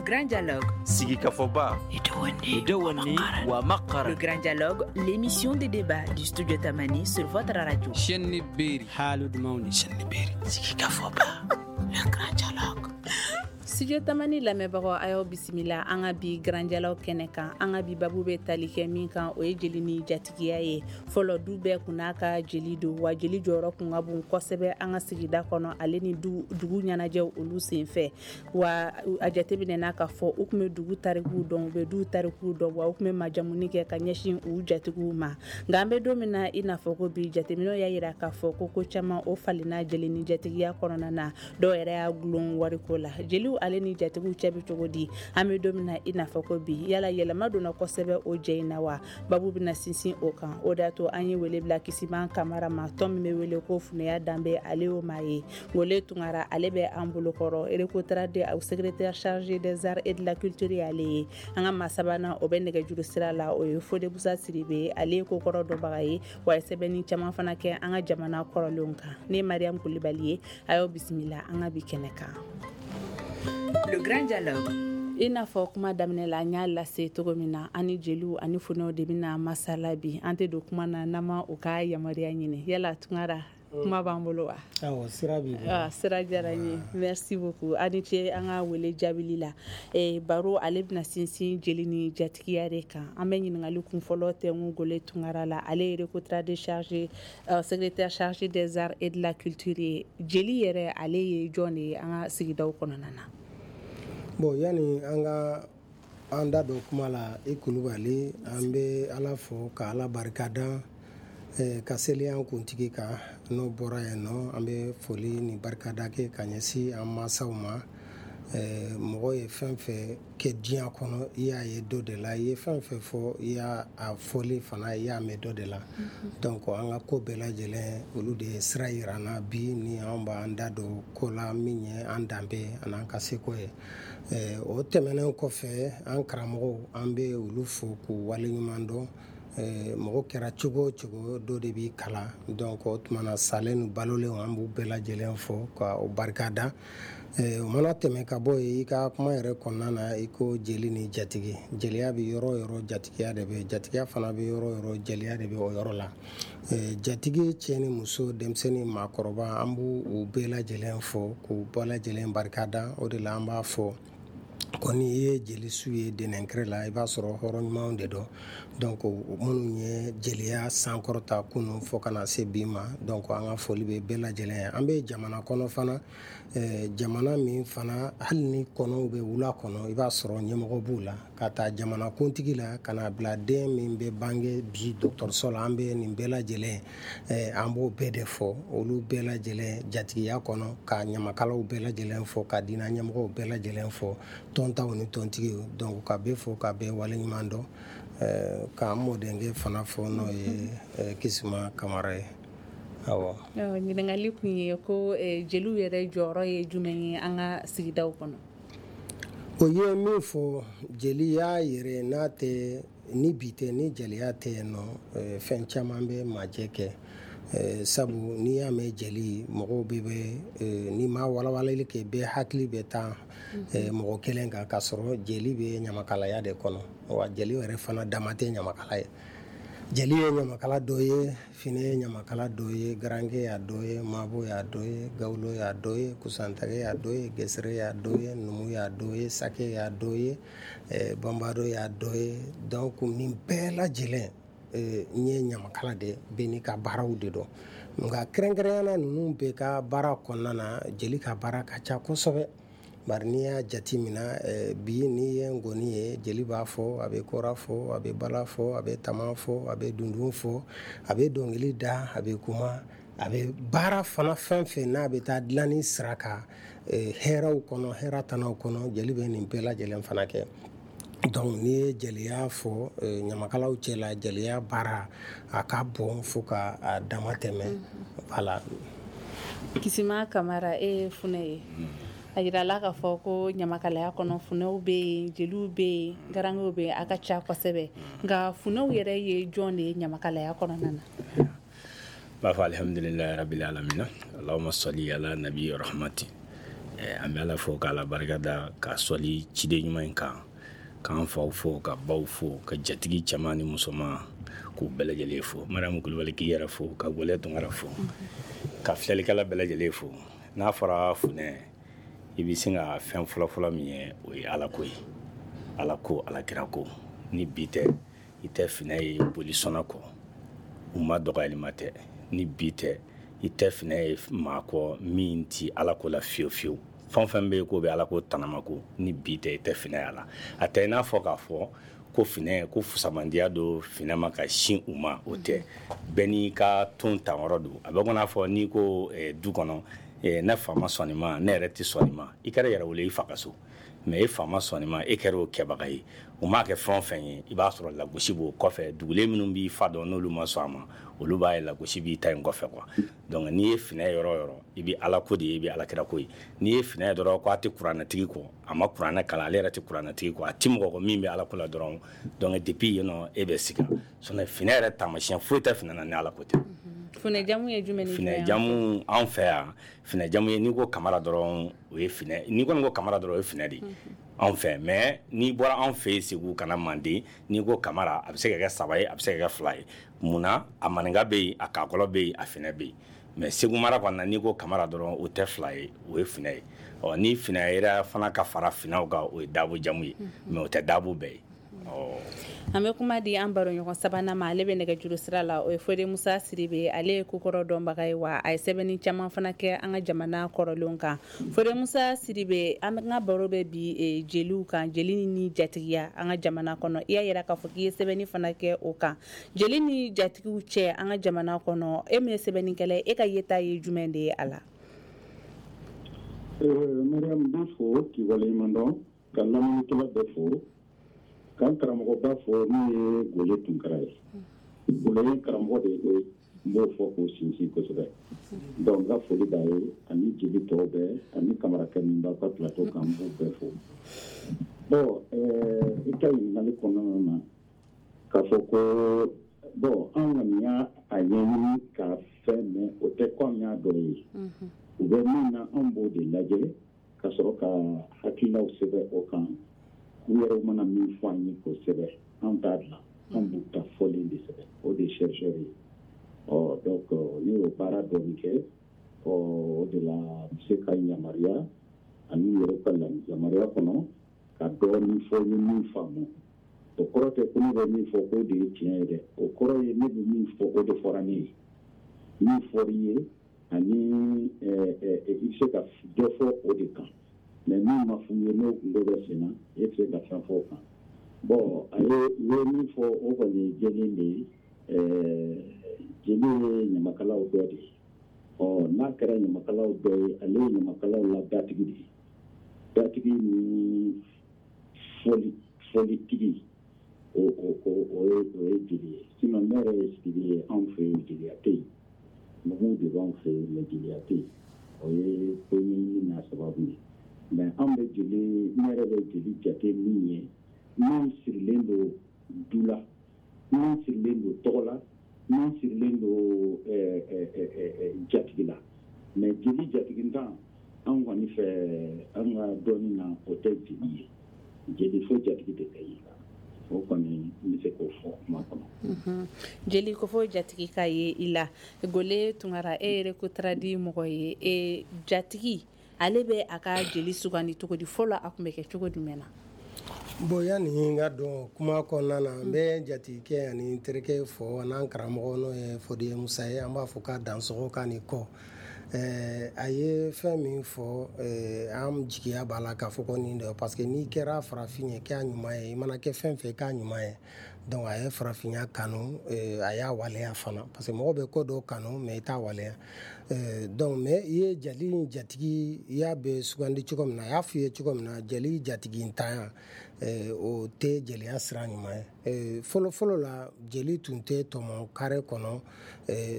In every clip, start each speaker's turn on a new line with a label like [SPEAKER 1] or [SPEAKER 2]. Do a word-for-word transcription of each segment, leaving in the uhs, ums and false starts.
[SPEAKER 1] Grand Dialogue.
[SPEAKER 2] Sigikafɔba.
[SPEAKER 1] Le Grand Dialogue, l'émission de débat du Studio Tamani sur votre radio. Le Grand Dialogue.
[SPEAKER 3] Studio Tamani lamɛnbagaw, a y'aw bisimila an ka bi Grand Dialogue kɛnɛ kan. An ka bi babu bɛ tali kɛ min kan, o ye jeli ni jatigiya ye. Fɔlɔ, du bɛɛ kun n'a ka jeli don, wa jeli jɔyɔrɔ kun ka bon kosɛbɛ an ka sigida kɔnɔ, ale ni du dugu ɲɛnajɛw olu senfɛ. Wa a jateminɛ n'a ka fɔ u tun bɛ dugu tarikuw dɔn, u bɛ du tarikuw dɔn, wa u tun bɛ majamuni kɛ ka ɲɛsin u jatigiw ma. Nka an bɛ don min na i n'a fɔ ko bi, jateminɛw y'a yira k'a fɔ ko ko caman o falenna jeli ni jatigiya kɔnɔna na. Dɔw yɛrɛ y'a gulon wariko la. Jeliw ale ni jatigiw cɛ bɛ cogo di an bɛ don min na i n'a fɔ ko bi? Yala yɛlɛma donna kosɛbɛ o jɛ in na wa? Babu bɛna sinsin o kan. O de y'a to an ye wele bila Kisiman Kamara ma, tɔn min bɛ wele ko Funɛya Danbe, ale y'o maa ye. Ngole Tunkara, ale bɛ an bolokɔrɔ Recotrade, au secrétaire chargé des arts et de la culture y'ale ye. An ka maa sabanan, o bɛ nɛgɛjuru sira la, o ye Fode Busa Sidibe, ale ye kokɔrɔ dɔnbaga ye, wa ye sɛbɛnni caman fana kɛ an ka jamana kɔrɔlenw kan. Ne ye Mariam Kulibali ye, a y'aw bisimila an ka bi kɛnɛ kan.
[SPEAKER 1] Le Grand Dialogue.
[SPEAKER 3] I n'a fɔ kuma daminɛ la, an y'a lase cogo min na, an ni jeliw ani funɛw de bɛna masala bi. An tɛ don kuma na n'an ma u ka yamaruya ɲini. Yala Tunkara, kuma b'an bolo wa?
[SPEAKER 4] Awɔ, sira b'i bolo.
[SPEAKER 3] Ah, sira diyara n ye, merci beaucoup, a ni ce an ka wele jaabili la. eh, baro ale bɛna sinsin jeli ni jatigiya de kan. An bɛ ɲininkali kun fɔlɔ tɛ Gole Tunkara la, ale ye Recotrade chargé euh, secrétaire chargé des arts et de la culture ye. Jeli yɛrɛ, ale ye jɔn de ye an ka sigidaw kɔnɔna na?
[SPEAKER 4] Bon, yani an ka an da don kuma la, i Kulubali, an bɛ Ala fo ka Ala barika da, eh, ka seli an kuntigi kan. N'o bɔra yen nɔ, an bɛ foli ni barikada kɛ ka ɲɛsin an mansaw ma. eh, mɔgɔ ye fɛn fɛn kɛ diɲɛ kɔnɔ, i y'a ye dɔ de la. I ye fɛn fɛn fɔ, i y'a a fɔli fana, i y'a mɛn dɔ de la. Donc an ka ko bɛɛ lajɛlen, olu de ye sira yira an na bi ni an b'an da don ko la min ye an danbe an'an ka seko ye. eh, o tɛmɛnen kɔfɛ, an karamɔgɔw, an bɛ olu fo k'u waleɲuman dɔn. eh, mɔgɔ kɛra cogo o cogo, dɔ de b'i kalan. Donc o tuma na, salen ni balolenw, an b'u bɛɛ lajɛlen fo ka o barika da. eh, o mana tɛmɛ ka bɔ yen, i ka kuma yɛrɛ kɔnɔna na, i ko jeli ni jatigi. Jeliya bɛ yɔrɔ o yɔrɔ, jatigiya de bɛ. Jatigiya fana bɛ yɔrɔ o yɔrɔ, jeliya de bɛ o yɔrɔ la. eh, jatigi cɛ ni muso, denmisɛnnin, maakɔrɔba, an b'u u bɛɛ lajɛlen fo k'u bɛɛ lajɛlen barika da. O de la an b'a fɔ ko n'i ye jelisu ye dɛnɛnkɛrɛ la, i b'a sɔrɔ hɔrɔn ɲumanw de don. Donc minnu ye jeliya sankɔrɔta kunun fo ka na se bi ma, donc an ka foli bɛ bɛɛ lajɛlen ye. An bɛ jamana kɔnɔ fana, eh, jamana min fana, hali ni kɔnɔw bɛ wula kɔnɔ, i b'a sɔrɔ ɲɛmɔgɔ b'u la, ka taa jamana kuntigi la ka na bila den min bɛ bange bi dɔgɔtɔrɔso la. An bɛ nin bɛɛ lajɛlen, eh, an b'o bɛɛ de fɔ, olu bɛɛ lajɛlen jatigiya kɔnɔ, ka ɲamakalaw bɛɛ lajɛlen fɔ, ka diinɛ ɲɛmɔgɔw bɛɛ lajɛlen fɔ, tɔntaw ni tɔntigiw. Donc ka bɛɛ fo ka bɛɛ waleɲuman dɔn, eh, k'an mɔdenkɛ fana fɔ, n'o ye eh, Kisima Kamara ye. Awɔ.
[SPEAKER 3] Ɲininkali kun ye ko eh, jeliw yɛrɛ jɔyɔrɔ ye jumɛn ye an ka sigidaw kɔnɔ?
[SPEAKER 4] O ye min fɔ, jeliya yɛrɛ n'a tɛ ni bi tɛ, ni jeliya tɛ yen nɔ, fɛn caman bɛ majɛ kɛ. Sabu n'i y'a mɛn jeli, mɔgɔw bɛ bɛ n'i ma walawalali kɛ, bɛɛ hakili bɛ taa mɔgɔ kelen kan, k'a sɔrɔ jeli bɛ ɲamakalaya de kɔnɔ. Wa jeli yɛrɛ fana dama tɛ ɲamakala ye. Jeli ye ɲamakala dɔ ye, finɛ ye ɲamakala dɔ ye, garankɛ y'a dɔ ye, mabo y'a dɔ ye, gawulo y'a dɔ ye, kusantage y'a dɔ ye, gesere y'a dɔ ye, numu y'a dɔ ye, sake y'a dɔ ye, banbado y'a dɔ ye. Donc nin bɛɛ lajɛlen n ye ɲamakala de bɛ n'i ka baaraw de dɔn. Nka kɛrɛnkɛrɛnnenya la, ninnu bɛɛ ka baara kɔnɔna na, jeli ka baara ka ca kosɛbɛ. Bari n'i y'a jate minɛ bi, n'i ye ngɔni ye, jeli b'a fɔ, a bɛ kora fɔ, a bɛ bala fɔ, a bɛ tama fɔ, a bɛ dundun fɔ, a bɛ dɔnkili da, a bɛ kuma, a bɛ baara fana fɛn fɛn n'a bɛ taa dilanni sira kan, hɛrɛw kɔnɔ, hɛrɛ tanaw kɔnɔ, jeli bɛ nin bɛɛ lajɛlen fana kɛ. Donc n'i ye jeliya fɔ ɲamakalaw cɛ la, jeliya baara a ka bon fo ka a dama tɛmɛ. Voilà.
[SPEAKER 3] Kisima Kamara, e ye funɛ ye. A yirala k'a fɔ ko ɲamakalaya kɔnɔ, funɛw bɛ yen, jeliw bɛ yen, garankew bɛ yen, a ka ca kosɛbɛ. Nka funɛw yɛrɛ ye jɔn de ye ɲamakalaya kɔnɔna na?
[SPEAKER 5] B'a fɔ alhamdulilayi rabbil alamina, allahumma salli ala nabi rahmati.
[SPEAKER 2] An bɛ Ala fo k'Ala barika da ka sɔli ciden ɲuman in kan, k'an faw fo, ka baw fo, ka jatigi cɛman ni musoman k'u bɛɛ lajɛlen fo. Mariamu Kulubali k'i yɛrɛ fo, ka Gole Tunkara fo, ka filɛlikɛla bɛɛ lajɛlen fo. N'a fɔra funɛ, i bɛ sin ka fɛn fɔlɔfɔlɔ min ye, o ye Ala ko ye. Ala ko, Ala kira ko. Ni bi tɛ, i tɛ finɛ ye bolisɔnna kɔ, u ma dɔgɔyalima tɛ. Ni bi tɛ, i tɛ finɛ ye maa kɔ min ti Ala ko la fiyewu fiyewu. Fɛn o fɛn bɛ yen k'o bɛ Ala ko tanama ko, ni bi tɛ, i tɛ finɛ y'a la. A tɛ i n'a fɔ k'a fɔ ko finɛ ko fusamandiya don finɛ ma ka sin u ma, o tɛ. Bɛɛ n'i ka ton tanyɔrɔ don. A bɛ ko n'a fɔ n'i ko eh, du kɔnɔ, eh, ne fa ma sɔn nin ma, ne yɛrɛ tɛ sɔn nin ma, i kɛra yɛrɛ wele i fa ka so. Mais e fa ma sɔn nin ma, e kɛra o kɛbaga ye. O m'a kɛ fɛn o fɛn ye, i b'a sɔrɔ lagosi b'o kɔfɛ. Dugulen minnu b'i fa dɔn n'olu ma sɔn a ma, olu b'a ye lagosi b'i ta in kɔfɛ quoi. Donc n'i ye finɛ yɔrɔ o yɔrɔ, i bɛ Ala ko de ye, i bɛ Ala kira ko ye. N'i ye finɛ dɔrɔn ko a tɛ kuranɛtigi kɔ, a ma kuranɛ kalan, ale yɛrɛ tɛ kuranɛtigi kɔ, a ti mɔgɔ kɔ min bɛ Ala ko la dɔrɔn. Donc depuis yen nɔ, e bɛ siga. Sinon finɛ yɛrɛ taamasiyɛn foyi tɛ finɛ na ni Ala ko tɛ.
[SPEAKER 3] Finɛ jamu ye jumɛn ni
[SPEAKER 2] Finɛ jamu anw fɛ yan, finɛ jamu ye n'i ko Kamara dɔrɔn, o ye finɛ. N'i kɔni ko Kamara dɔrɔn, o ye finɛ de ye anw fɛ. Mais n'i bɔra anw fɛ yen Segu ka na Manden, n'i ko Kamara, a bɛ se ka kɛ saba ye, a bɛ se ka kɛ fila ye. Munna? A maninka bɛ yen, a kakɔlɔ bɛ yen, a finɛ bɛ yen. Mais Segu mara kɔni na, n'i ko Kamara dɔrɔn, o tɛ fila ye, o ye finɛ ye. Ɔ ni finɛ yɛrɛ fana ka fara finɛw kan, o ye dabo jamu ye, mais o tɛ dabo bɛɛ ye.
[SPEAKER 3] An bɛ kuma di an baroɲɔgɔn sabanan ma, ale bɛ nɛgɛjuru sira la, o ye Fode Musa Sidibe. Ale ye kokɔrɔ dɔnbaga ye, wa a ye sɛbɛnni caman fana kɛ an ka jamana kɔrɔlenw kan. Fode Musa Sidibe, an ka baro bɛ bi jeliw kan, jeli ni jatigiya an ka jamana kɔnɔ. I y'a yira k'a fɔ k'i ye sɛbɛnni fana kɛ o kan. Jeli ni jatigiw cɛ an ka jamana kɔnɔ, e min ye sɛbɛnnikɛla ye, e ka yeta ye jumɛn de ye a la?
[SPEAKER 5] Mariam, n b'i fo k'i waleɲuman dɔn, ka lamɛnnikɛla bɛɛ fo, k'an karamɔgɔba fɔ min ye Gole Tunkara ye. Gole ye karamɔgɔ de ye, n b'o fɔ k'o sinsin kosɛbɛ. Donc n ka foli b'a ye, ani jeli tɔw bɛɛ, ani Kamarakɛ min b'aw ka plateau kan, n b'u bɛɛ fo. Bon, i ka ɲininkali kɔnɔna na, k'a fɔ ko bon, an kɔni y'a a ɲɛɲini ka fɛn mɛn, o tɛ ko an y'a dɔ ye. U bɛ min na, an b'o de lajɛ ka sɔrɔ ka hakilinaw sɛbɛn o kan. U yɛrɛ mana min fɔ an ye k'o sɛbɛn, an t'a dilan, an b'u ta fɔlen de sɛbɛn, o de ye chercheur ye. Ɔ donc ne y'o baara dɔɔni kɛ, ɔ o de la n bɛ se ka yamaruya ani u yɛrɛ ka yamaruya kɔnɔ ka dɔɔni fɔ n ye min faamu. O kɔrɔ tɛ ko ne bɛ min fɔ k'o de ye tiɲɛ ye dɛ, o kɔrɔ ye ne bɛ min fɔ o de fɔra ne ye. Min fɔr'i ye ani i bɛ se ka dɔ fɔ o de kan. Mais min ma f'u ye n'o kungo bɛ sen na, e tɛ se ka fɛn fɔ o kan. Bon, a ye u ye min fɔ, o kɔni ye jɛlen de ye. Jeli ye ɲamakalaw dɔ de ye. Ɔ n'a kɛra ɲamakalaw dɔ ye, ale ye ɲamakalaw la datigi de ye. Datigi ni fɔli fɔlitigi, o o o o ye o ye jeli ye. Sinon ne yɛrɛ ye sigili ye anw fɛ yen, jeliya tɛ yen. Numuw de b'anw fɛ yen, mais jeliya tɛ yen. O ye ko ɲɛɲini n'a sababu ye. Mais an bɛ jeli, ne yɛrɛ bɛ jeli jate min ye, n'an sirilen don du la, n'an sirilen don tɔgɔ la, n'an sirilen don jatigi la. Mais jeli jatigintan, an kɔni fɛ, an ka dɔnni na, o tɛ jeli ye. Jeli fo jatigi de ka ye la. O kɔni n bɛ se k'o fɔ kuma kɔnɔ.
[SPEAKER 3] Jeli ko fo jatigi ka ye i la. Gole Tunkara, e yɛrɛ ko tradi mɔgɔ ye, e jatigi ale bɛ a ka jeli sugandi cogo di? Fɔlɔ a tun bɛ kɛ cogo jumɛn na?
[SPEAKER 4] Bon, yanni n ka don kuma kɔnɔna na, n bɛ jatigikɛ ani terikɛ fɔ, n'an karamɔgɔ n'o ye Fode Musa ye, an b'a fɔ k'a dansɔgɔ k'a ni kɔ. A ye fɛn min fɔ, an jigiya b'a la k'a fɔ ko nin de, parce que n'i kɛra farafin ye, k'a ɲuman ye, i mana kɛ fɛn fɛn k'a ɲuman ye. Donc a ye farafinya kanu, a y'a waleya fana, parce que mɔgɔ bɛ ko dɔw kanu mais i t'a waleya. Donc mais i ye jeli jatigi, i y'a bɛ sugandi cogo min na, a y'a f'i ye cogo min na, jeli jatigi ntanya, o tɛ jeliya sira ɲuman ye. Fɔlɔ fɔlɔ la, jeli tun tɛ tɔmɔ kare kɔnɔ.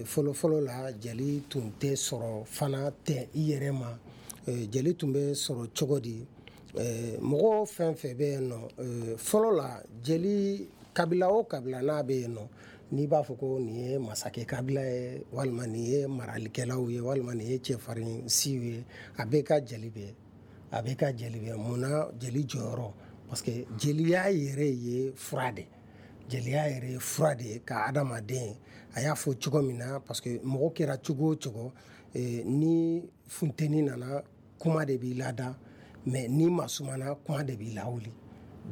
[SPEAKER 4] Fɔlɔ fɔlɔ la, jeli tun tɛ sɔrɔ fana tɛ i yɛrɛ ma. Jeli tun bɛ sɔrɔ cogo di? Mɔgɔ fɛn fɛn bɛ yen nɔ fɔlɔ la, jeli kabila o kabila n'a bɛ yen nɔ, n'i b'a fɔ ko nin ye masakɛ kabila ye, walima nin ye maralikɛlaw ye, walima nin ye cɛfarin siw ye, a bɛɛ ka jeli bɛ. A bɛ ka jeli bɛ mun na jeli jɔyɔrɔ, parce que jeliya yɛrɛ ye fura de, jeliya yɛrɛ ye fura de ye ka adamaden, a y'a fɔ cogo min na, parce que mɔgɔ kɛra cogo o cogo, ni funteni nana kuma de b'i lada, mais ni masumana kuma de b'i lawuli.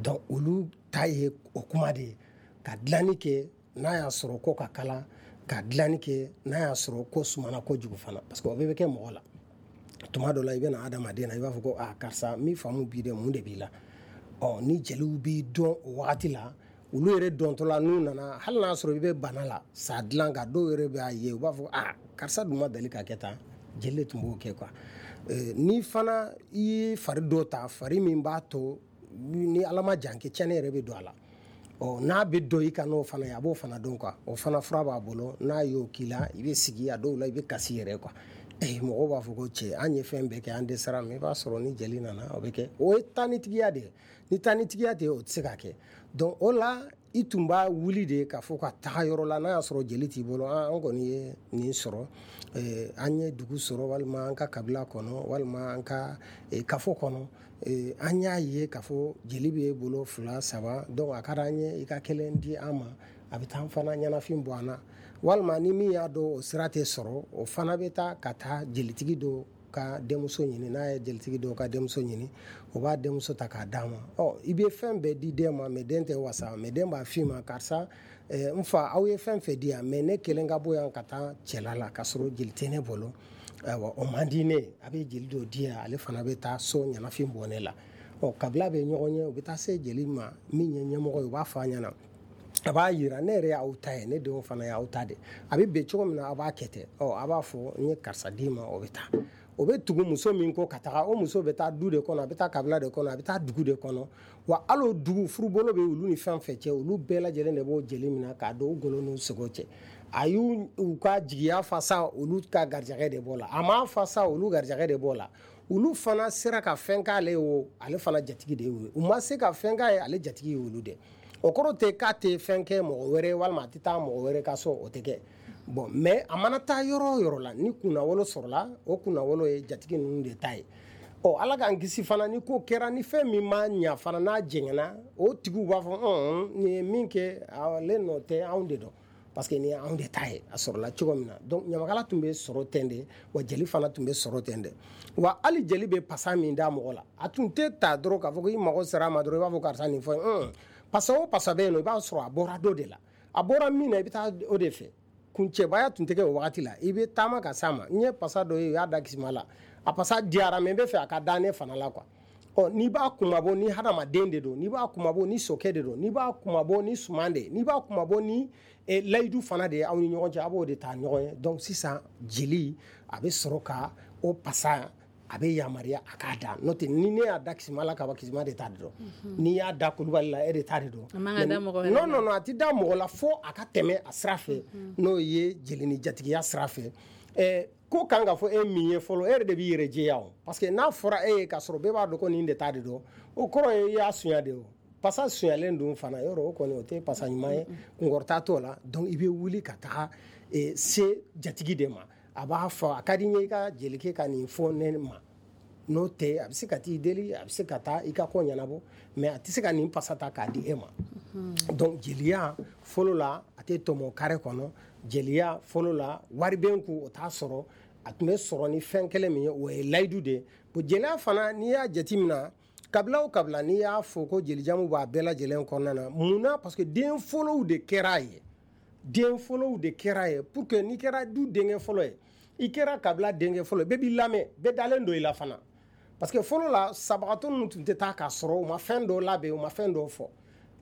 [SPEAKER 4] Donc olu ta ye o kuma de ye, ka dilanni kɛ n'a y'a sɔrɔ ko ka kalan, ka dilanni kɛ n'a y'a sɔrɔ ko sumana kojugu fana, parce que o bɛɛ bɛ kɛ mɔgɔ la. Tuma dɔ la i bɛ na adamaden na, i b'a fɔ ko aa karisa min faamu b'i dɛ, mun de b'i la? Ɔ ni jeliw b'i dɔn o wagati la, olu yɛrɛ dɔntɔ la n'u nana, hali n'a sɔrɔ i bɛ bana la sa dilan kan, dɔw yɛrɛ b'a ye u b'a fɔ aa karisa dun ma deli ka kɛ tan, jeli de tun b'o kɛ quoi. Ni fana i ye fari dɔ ta, fari min b'a to ni Ala ma jan kɛ tiɲɛni yɛrɛ bɛ don a la, ɔ n'a bɛ dɔn i kan n'o fana ye, a b'o fana dɔn quoi. O fana fura b'a bolo, n'a y'o k'i la i bɛ sigi, a dɔw la i bɛ kasi yɛrɛ quoi. Eh, mɔgɔw b'a fɔ ko cɛ an ye fɛn bɛɛ kɛ an dɛsɛra, mais i b'a sɔrɔ ni jeli nana o bɛ kɛ. O ye taanitigiya de ye, ni taanitigiya tɛ o tɛ se ka kɛ. Donc o la i tun b'a wuli de k'a fɔ ka taga yɔrɔ la, n'a y'a sɔrɔ jeli t'i bolo, an kɔni ye nin sɔrɔ, an ye dugu sɔrɔ, walima an ka kabila kɔnɔ, walima an ka kafo kɔnɔ, an y'a ye k'a fɔ jeli b'e bolo fila saba, donc a ka d'an ye i ka kelen di an ma, a bɛ taa an fana ɲɛnafin bɔ an na. Walima ni min y'a dɔn o sira tɛ sɔrɔ, o fana bɛ taa ka taa jelitigi dɔ ka denmuso ɲini, n'a ye jelitigi dɔ ka denmuso ɲini, o b'a denmuso ta k'a d'a ma. Ɔ i bɛ fɛn bɛɛ di den ma, mais den tɛ wasa, mais den b'a f'i ma karisa n fa aw ye fɛn fɛn di yan, mais ne kelen ka bɔ yan ka taa cɛla la k'a sɔrɔ jeli tɛ ne bolo, ayiwa o man di ne ye, a bɛ jeli dɔ di yan, ale fana bɛ taa so ɲɛnafin bɔ ne la. Ɔ kabila bɛ ɲɔgɔn ye, u bɛ taa se jeli ma min ye ɲɛmɔgɔ ye, u b'a fɔ a ɲɛna, a b'a yira ne yɛrɛ y'aw ta ye, ne denw fana y'aw ta de, a bɛ bɛn cogo min na a b'a kɛ ten. Ɔ a b'a fɔ n ye karisa d'i ma, o bɛ taa, o bɛ tugu muso min kɔ ka taga, o muso bɛ taa du de kɔnɔ, a bɛ taa kabila de kɔnɔ, a bɛ taa dugu de kɔnɔ. Wa hali o dugu furubolo bɛ olu ni fɛn fɛn cɛ, olu bɛɛ lajɛlen de b'o jeli minɛ k'a don u golo n'u sogo cɛ. A y'u u ka jigiya fa sa, olu ka garijɛgɛ de b'o la, a m'a fa sa, olu garijɛgɛ de b'o la. Olu fana sera ka fɛn k'ale ye o, ale fana jatigi de y'o ye, u ma se ka fɛn k'a ye, ale jatigi ye olu de. O kɔrɔ tɛ k'a tɛ fɛn kɛ mɔgɔ wɛrɛ, walima a tɛ taa mɔgɔ wɛrɛ ka so, o tɛ kɛ. Bon mais a mana taa yɔrɔ o yɔrɔ la, ni kunnawolo sɔrɔla, o kunnawolo ye jatigi ninnu de ta ye. Ɔ Ala k'an kisi fana, ni ko kɛra, ni fɛn min ma ɲa fana n'a jɛngɛnna, o tigiw b'a fɔ ɔn nin ye min kɛ ale nɔ tɛ, anw de dɔn, parce que nin ye anw de ta ye, a sɔrɔla cogo min na. Donc ɲamakala tun bɛ sɔrɔ ten de, wa jeli fana tun bɛ sɔrɔ ten de. Wa hali jeli bɛ pasa min da mɔgɔ la, a tun tɛ ta dɔrɔn k'a fɔ ko i mago sera a ma dɔrɔn i b'a fɔ karisa nin fɔ n pasa o pasa bɛ yen nɔ, i b'a sɔrɔ a bɔra dɔ de la, a bɔra min na i bɛ taa o de fɛ. Kuncɛbaya tun tɛ kɛ o wagati la, i bɛ taama ka s'a ma, n ye pasa dɔ ye u y'a da kisima la, a pasa diyara mais n bɛ fɛ a ka da ne fana la quoi. Ɔ n'i b'a kumabɔ ni hadamaden de don, n'i b'a kumabɔ ni sokɛ de don, n'i b'a kumabɔ ni suman de ye, n'i b'a kumabɔ ni layidu fana de ye aw ni ɲɔgɔn cɛ, a b'o de ta ɲɔgɔn ye. Donc sisan jeli a bɛ sɔrɔ ka o pasa, a bɛ yamaruya a k'a da, n'o tɛ ni ne y'a da kisima la kaba, kisima de ta de don, n'i y'a da kulubali la e de ta de don. Non non non, a tɛ da mɔgɔ la fo a ka tɛmɛ a sira fɛ, n'o ye jeli ni jatigiya sira fɛ. Ɛɛ ko kan ka fɔ e min ye fɔlɔ, e yɛrɛ de b'i yɛrɛ jɛya o, parce que n'a fɔra e ye k'a sɔrɔ bɛɛ b'a dɔn ko nin de ta de don, o kɔrɔ ye i y'a sunya de o. Pasa sunyalen dun fana yɔrɔ o kɔni o tɛ pasa ɲuman ye, kunkɔrɔta t'o la. Donc i bɛ wuli ka taga se jatigi de ma, a b'a fɔ a ka di n ye i ka jelikɛ ka nin fɔ ne ma, n'o tɛ a bɛ se ka t'i deli, a bɛ se ka taa i ka ko ɲɛnabɔ, mais a tɛ se ka nin pasa ta k'a di e ma. Donc jeliya fɔlɔ la a tɛ tɔmɔ kare kɔnɔ, jeliya fɔlɔ la wari bɛ n kun o t'a sɔrɔ, a tun bɛ sɔrɔ ni fɛn kelen min ye o ye layidu de ye. Bon jeliya fana n'i y'a jateminɛ, kabila o kabila n'i y'a fɔ ko jelijamu b'a bɛɛ lajɛlen kɔnɔna na, mun na? Parce que den fɔlɔw de kɛra a ye, den fɔlɔw de kɛra ye pour que n'i kɛra du denkɛ fɔlɔ ye, i kɛra kabila denkɛ fɔlɔ ye, bɛɛ b'i lamɛn, bɛɛ dalen don i la fana. Parce que fɔlɔ la sabagatɔ ninnu tun tɛ taa k'a sɔrɔ u ma fɛn dɔw labɛn, u ma fɛn dɔw fɔ.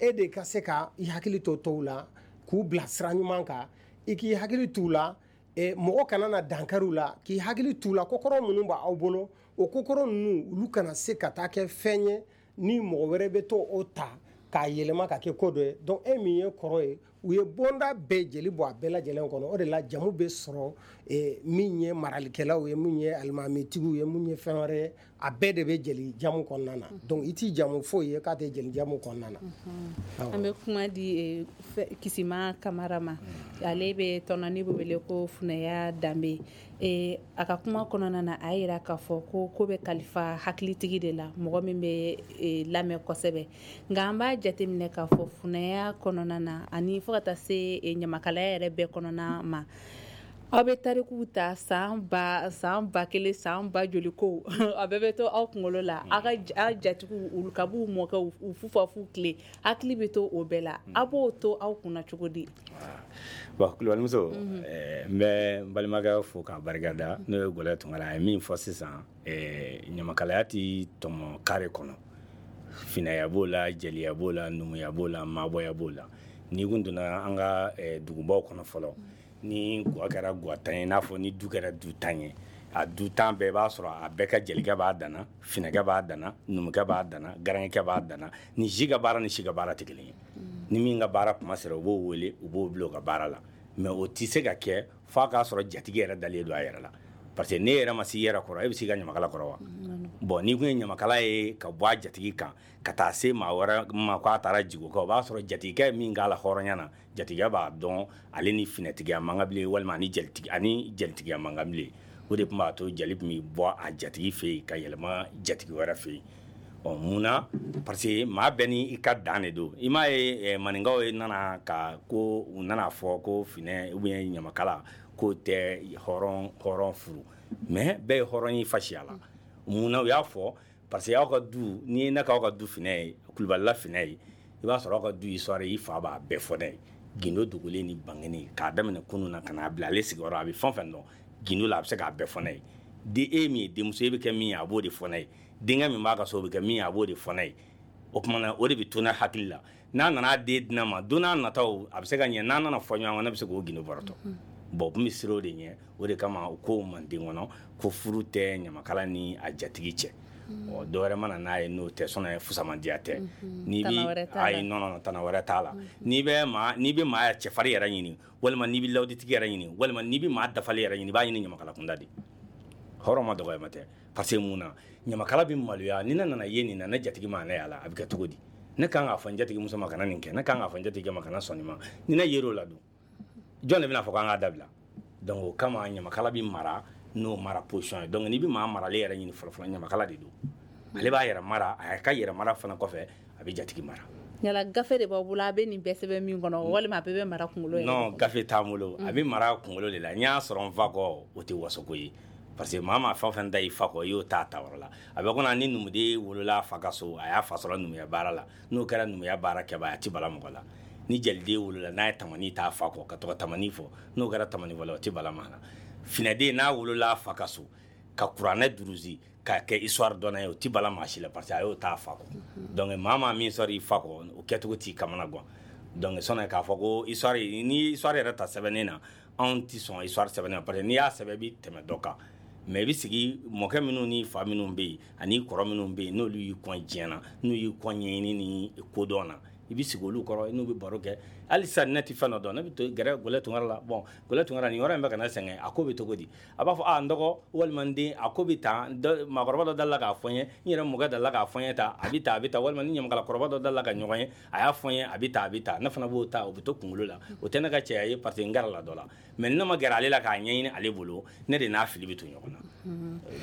[SPEAKER 4] E de ka se ka i hakili to tɔw la, k'u bila sira ɲuman kan, i k'i hakili t'u la, mɔgɔ kana na dankari u la, k'i hakili t'u la, kokɔrɔ minnu b'aw bolo, o kokɔrɔ ninnu olu kana se ka taa kɛ fɛn ye ni mɔgɔ wɛrɛ bɛ to o ta k'a yɛlɛma ka kɛ ko dɔ ye. Donc e min ye kɔrɔ ye, U ye bonda bɛɛ jeli bɔ a bɛɛ lajɛlen kɔnɔ. O de la jamu bɛ sɔrɔ min ye maralikɛlaw ye, min ye alimamitigiw ye, min ye fɛn wɛrɛ ye, a bɛɛ de bɛ jeli jamu kɔnɔna na. Donc i t'i jamu foyi ye k'a tɛ jeli jamu kɔnɔna na.
[SPEAKER 3] An bɛ kuma di Kisima Kamara ma, ale bɛ tɔnɔ ni bɛ wele ko Funɛya Danbe. A ka kuma kɔnɔna na, a yira k'a fɔ ko ko bɛ kalifa hakilitigi de la, mɔgɔ min bɛ lamɛn kosɛbɛ. Nka an b'a jateminɛ k'a fɔ funɛya kɔnɔna na ani fo ka taa se ɲamakalaya yɛrɛ bɛɛ kɔnɔna ma, aw bɛ tarikuw ta san ba san ba kelen san ba joli ko a bɛɛ bɛ to aw kunkolo la. Aw ka jatigiw olu ka b'u mɔkɛ u fufafu tile hakili bɛ to o bɛɛ la. A b'o to aw kunna cogo di?
[SPEAKER 2] Bon, Kulubalimuso, n bɛ n balimakɛ fo k'a barikada, n'o ye Gɔlɛ Tunkara. A ye min fɔ sisan, ɲamakalaya tɛ tɔmɔ kare kɔnɔ. Finɛya b'o la, jeliya b'o la, numuya b'o la, maabɔya b'o la. N'i kun donna an ka dugubaw kɔnɔ fɔlɔ, ni gwa kɛra gwa tan ye, n'a fɔ ni du kɛra du tan ye, a du tan bɛɛ b'a sɔrɔ a bɛɛ ka jelikɛ b'a danna, finɛkɛ b'a danna, numukɛ b'a danna, garankɛ b'a danna. Ni si ka baara ni si ka baara tɛ kelen ye. Ni min ka baara kuma sera, u b'o wele, u b'o bila u ka baara la. Mais o tɛ se ka kɛ f'a k'a sɔrɔ jatigi yɛrɛ dalen don a yɛrɛ la. Parce que n'e yɛrɛ ma se i yɛrɛ kɔrɔ, e bɛ se i ka ɲamakala kɔrɔ wa? Bon, n'i kun ye ɲamakala ye ka bɔ a jatigi kan ka taa se maa wɛrɛ ma k'a taara jigo kɛ, o b'a sɔrɔ jatigikɛ min k'a la hɔrɔnya na, jatigikɛ b'a dɔn ale ni finɛtigiya man kan bilen, walima ani jelitigi ani jelitigiya man kan bilen. O de tun b'a to jeli tun bɛ bɔ a jatigi fɛ yen ka yɛlɛma jatigi wɛrɛ fɛ yen. Ɔ mun na? Parce que maa bɛɛ ni i ka dan de don. I m'a ye maninkaw ye nana ka ko u nana fɔ ko finɛ ou bien ɲamakala k'o tɛ hɔrɔn hɔrɔn furu, mais bɛɛ ye hɔrɔn ye fasiya la. Mun na u y'a fɔ? Parce que aw ka du, n'i ye ne k'aw ka du finɛ ye, Kulubalila finɛ ye, i b'a sɔrɔ aw ka du histoire i fa b'a bɛɛ fɔ ne ye. Gindo dogolen ni bangenen, k'a daminɛ kunun na ka n'a bila ale sigiyɔrɔ, a bɛ fɛn fɛn dɔn gindo la, a bɛ se k'a bɛɛ fɔ ne ye. Den e min ye denmuso, e bɛ kɛ min ye, a b'o de fɔ ne ye. Denkɛ min b'a ka so, o bɛ kɛ min ye, a b'o de fɔ ne ye. O tuma na, o de bɛ to ne hakili la. N'a nana den di ne ma, don n'a nataw a bɛ se ka ɲɛ, n'a nana fɔ ɲɔgɔn kɔ, ne bɛ se k'o gindo bɔrɔtɔ. Bon, u tun bɛ siran o de ɲɛ. O de kama u ko manden kɔnɔ ko furu tɛ ɲamakala ni a jatigi cɛ. Ɔ dɔ wɛrɛ mana n'a ye n'o tɛ, sɔnni fusamandiya tɛ. N'i bɛ ayi non non tana wɛrɛ t'a la. N'i bɛ maa n'i bɛ maa cɛfarin yɛrɛ ɲini, walima n'i bɛ lawuditigi yɛrɛ ɲini, walima n'i bɛ maa dafalen yɛrɛ ɲini, i b'a ɲini ɲamakala kunda de. Hɔrɔn ma dɔgɔyama tɛ. Parce que mun na, ɲamakala bɛ maloya. Ni ne nana ye nin na, ne jatigi ma ne y'a la, a bɛ kɛ cogo di? Ne kan k'a fɔ n jatigi muso ma kana nin kɛ, ne kan k'a fɔ n jatigikɛ ma kana sɔn nin ma. Ni ne yer'o la dun, jɔn de bɛna fɔ k'an k'a dabila? Donc o kama ɲamakala bɛ mara n'o mara position ye. Donc n'i bɛ maa maralen yɛrɛ ɲini fɔlɔ fɔlɔ, ɲamakala de don. Ale b'a yɛrɛ mara, a ka yɛrɛ mara fana kɔfɛ, a bɛ jatigi mara.
[SPEAKER 3] Yala gafe de b'aw bolo a bɛ nin bɛɛ sɛbɛn min kɔnɔ, walima a bɛɛ bɛ mara kunkolo yɛrɛ?
[SPEAKER 2] Non, gafe t'an bolo. A bɛ mara kunkolo de la. N y'a sɔrɔ n fa kɔ, o tɛ wasoko ye. Parce que maa maa fɛn o fɛn da i fa kɔ, i y'o ta ta yɔrɔ la. A bɛ komi ni numuden wolola fa ka so, a y'a fa sɔrɔ numuya baara la. N'o kɛra numuya baara kɛbaa ye, a tɛ bala mɔgɔ la. Ni jeliden wolola n'a ye tamani t'a fa kɔ ka to ka tamani fɔ, n'o kɛra tamani fɔla, o tɛ bala maa la. Finɛden n'a wolola fa ka so ka kuranɛ durusi ka kɛ histoire dɔnna ye, o tɛ bala maa si la, parce que a y'o t'a fa kɔ. Donc maa maa min sɔrɔ i fa kɔ, o kɛcogo t'i kamana gan. Donc sɔnni k'a fɔ ko histoire, ni histoire yɛrɛ ta sɛbɛnnen na, anw tɛ sɔn histoire sɛbɛnnen na, parce que n'i y'a sɛbɛn i bɛ tɛmɛ dɔ kan. Mais i bɛ sigi mɔkɛ minnu ni fa minnu bɛ yen ani kɔrɔ minnu bɛ yen, n'olu y'i kɔn diɲɛ na, n'u y'i kɔn ɲɛɲini ni kodɔn na, i bɛ sigi olu kɔrɔ, n'u bɛ baro kɛ. Hali sisan ne tɛ fɛn dɔ dɔn, ne bɛ to gɛrɛ Gɔlɛ Tunkara la. Bon, Gɔlɛ Tunkara, nin yɔrɔ in bɛ ka ne sɛgɛn, a ko bɛ cogo di? A b'a fɔ a n dɔgɔ walima n den, a ko bɛ tan, maakɔrɔba dɔ dala k'a fɔ n ye, n yɛrɛ mɔkɛ dala k'a fɔ n ye tan, a bɛ tan, a bɛ tan, walima ni ɲamakalakɔrɔba dɔ dala ka ɲɔgɔn ye, a y'a fɔ n ye, a bɛ tan, a bɛ tan. Ne fana b'o ta, o bɛ to kunkolo la. O tɛ ne ka cɛya ye, parce que n gɛrɛ la dɔ la. Mais ne ma gɛrɛ ale la k'a ɲɛɲini ale bolo, ne de n'a fili bɛ to ɲɔgɔn na.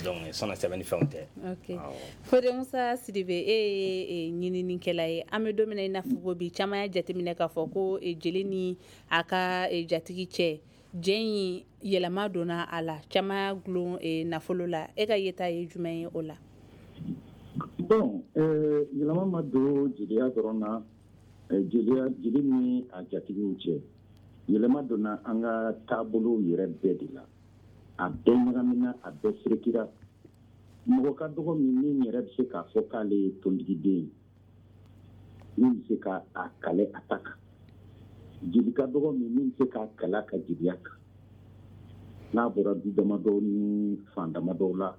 [SPEAKER 2] Donc sɔnni sɛbɛnni fɛnw tɛ.
[SPEAKER 3] Ok. Fode Musa Sidibe, e ye ɲininikɛla ye. An bɛ don min na i n'a fɔ ko bi, caman y'a jateminɛ k'a fɔ ko jeli ni a ka jatigi cɛ, jɛ in yɛlɛma donna a la, caman y'a gulon nafolo la. E ka yeta ye jumɛn ye o la?
[SPEAKER 5] Bon, yɛlɛma ma don jeliya dɔrɔn na, jeliya jeli ni a jatigiw cɛ. Yɛlɛma donna an ka taabolow yɛrɛ bɛɛ de la. A bɛɛ ɲagamina, a bɛɛ serekira. Mɔgɔ ka dɔgɔ min min yɛrɛ bɛ se k'a fɔ k'ale ye tontigiden ye, min bɛ se k'a kale a ta kan. Jeli ka dɔgɔ min min bɛ se k'a kale a ka jeliya kan. N'a bɔra du damadɔw ni fan damadɔw la,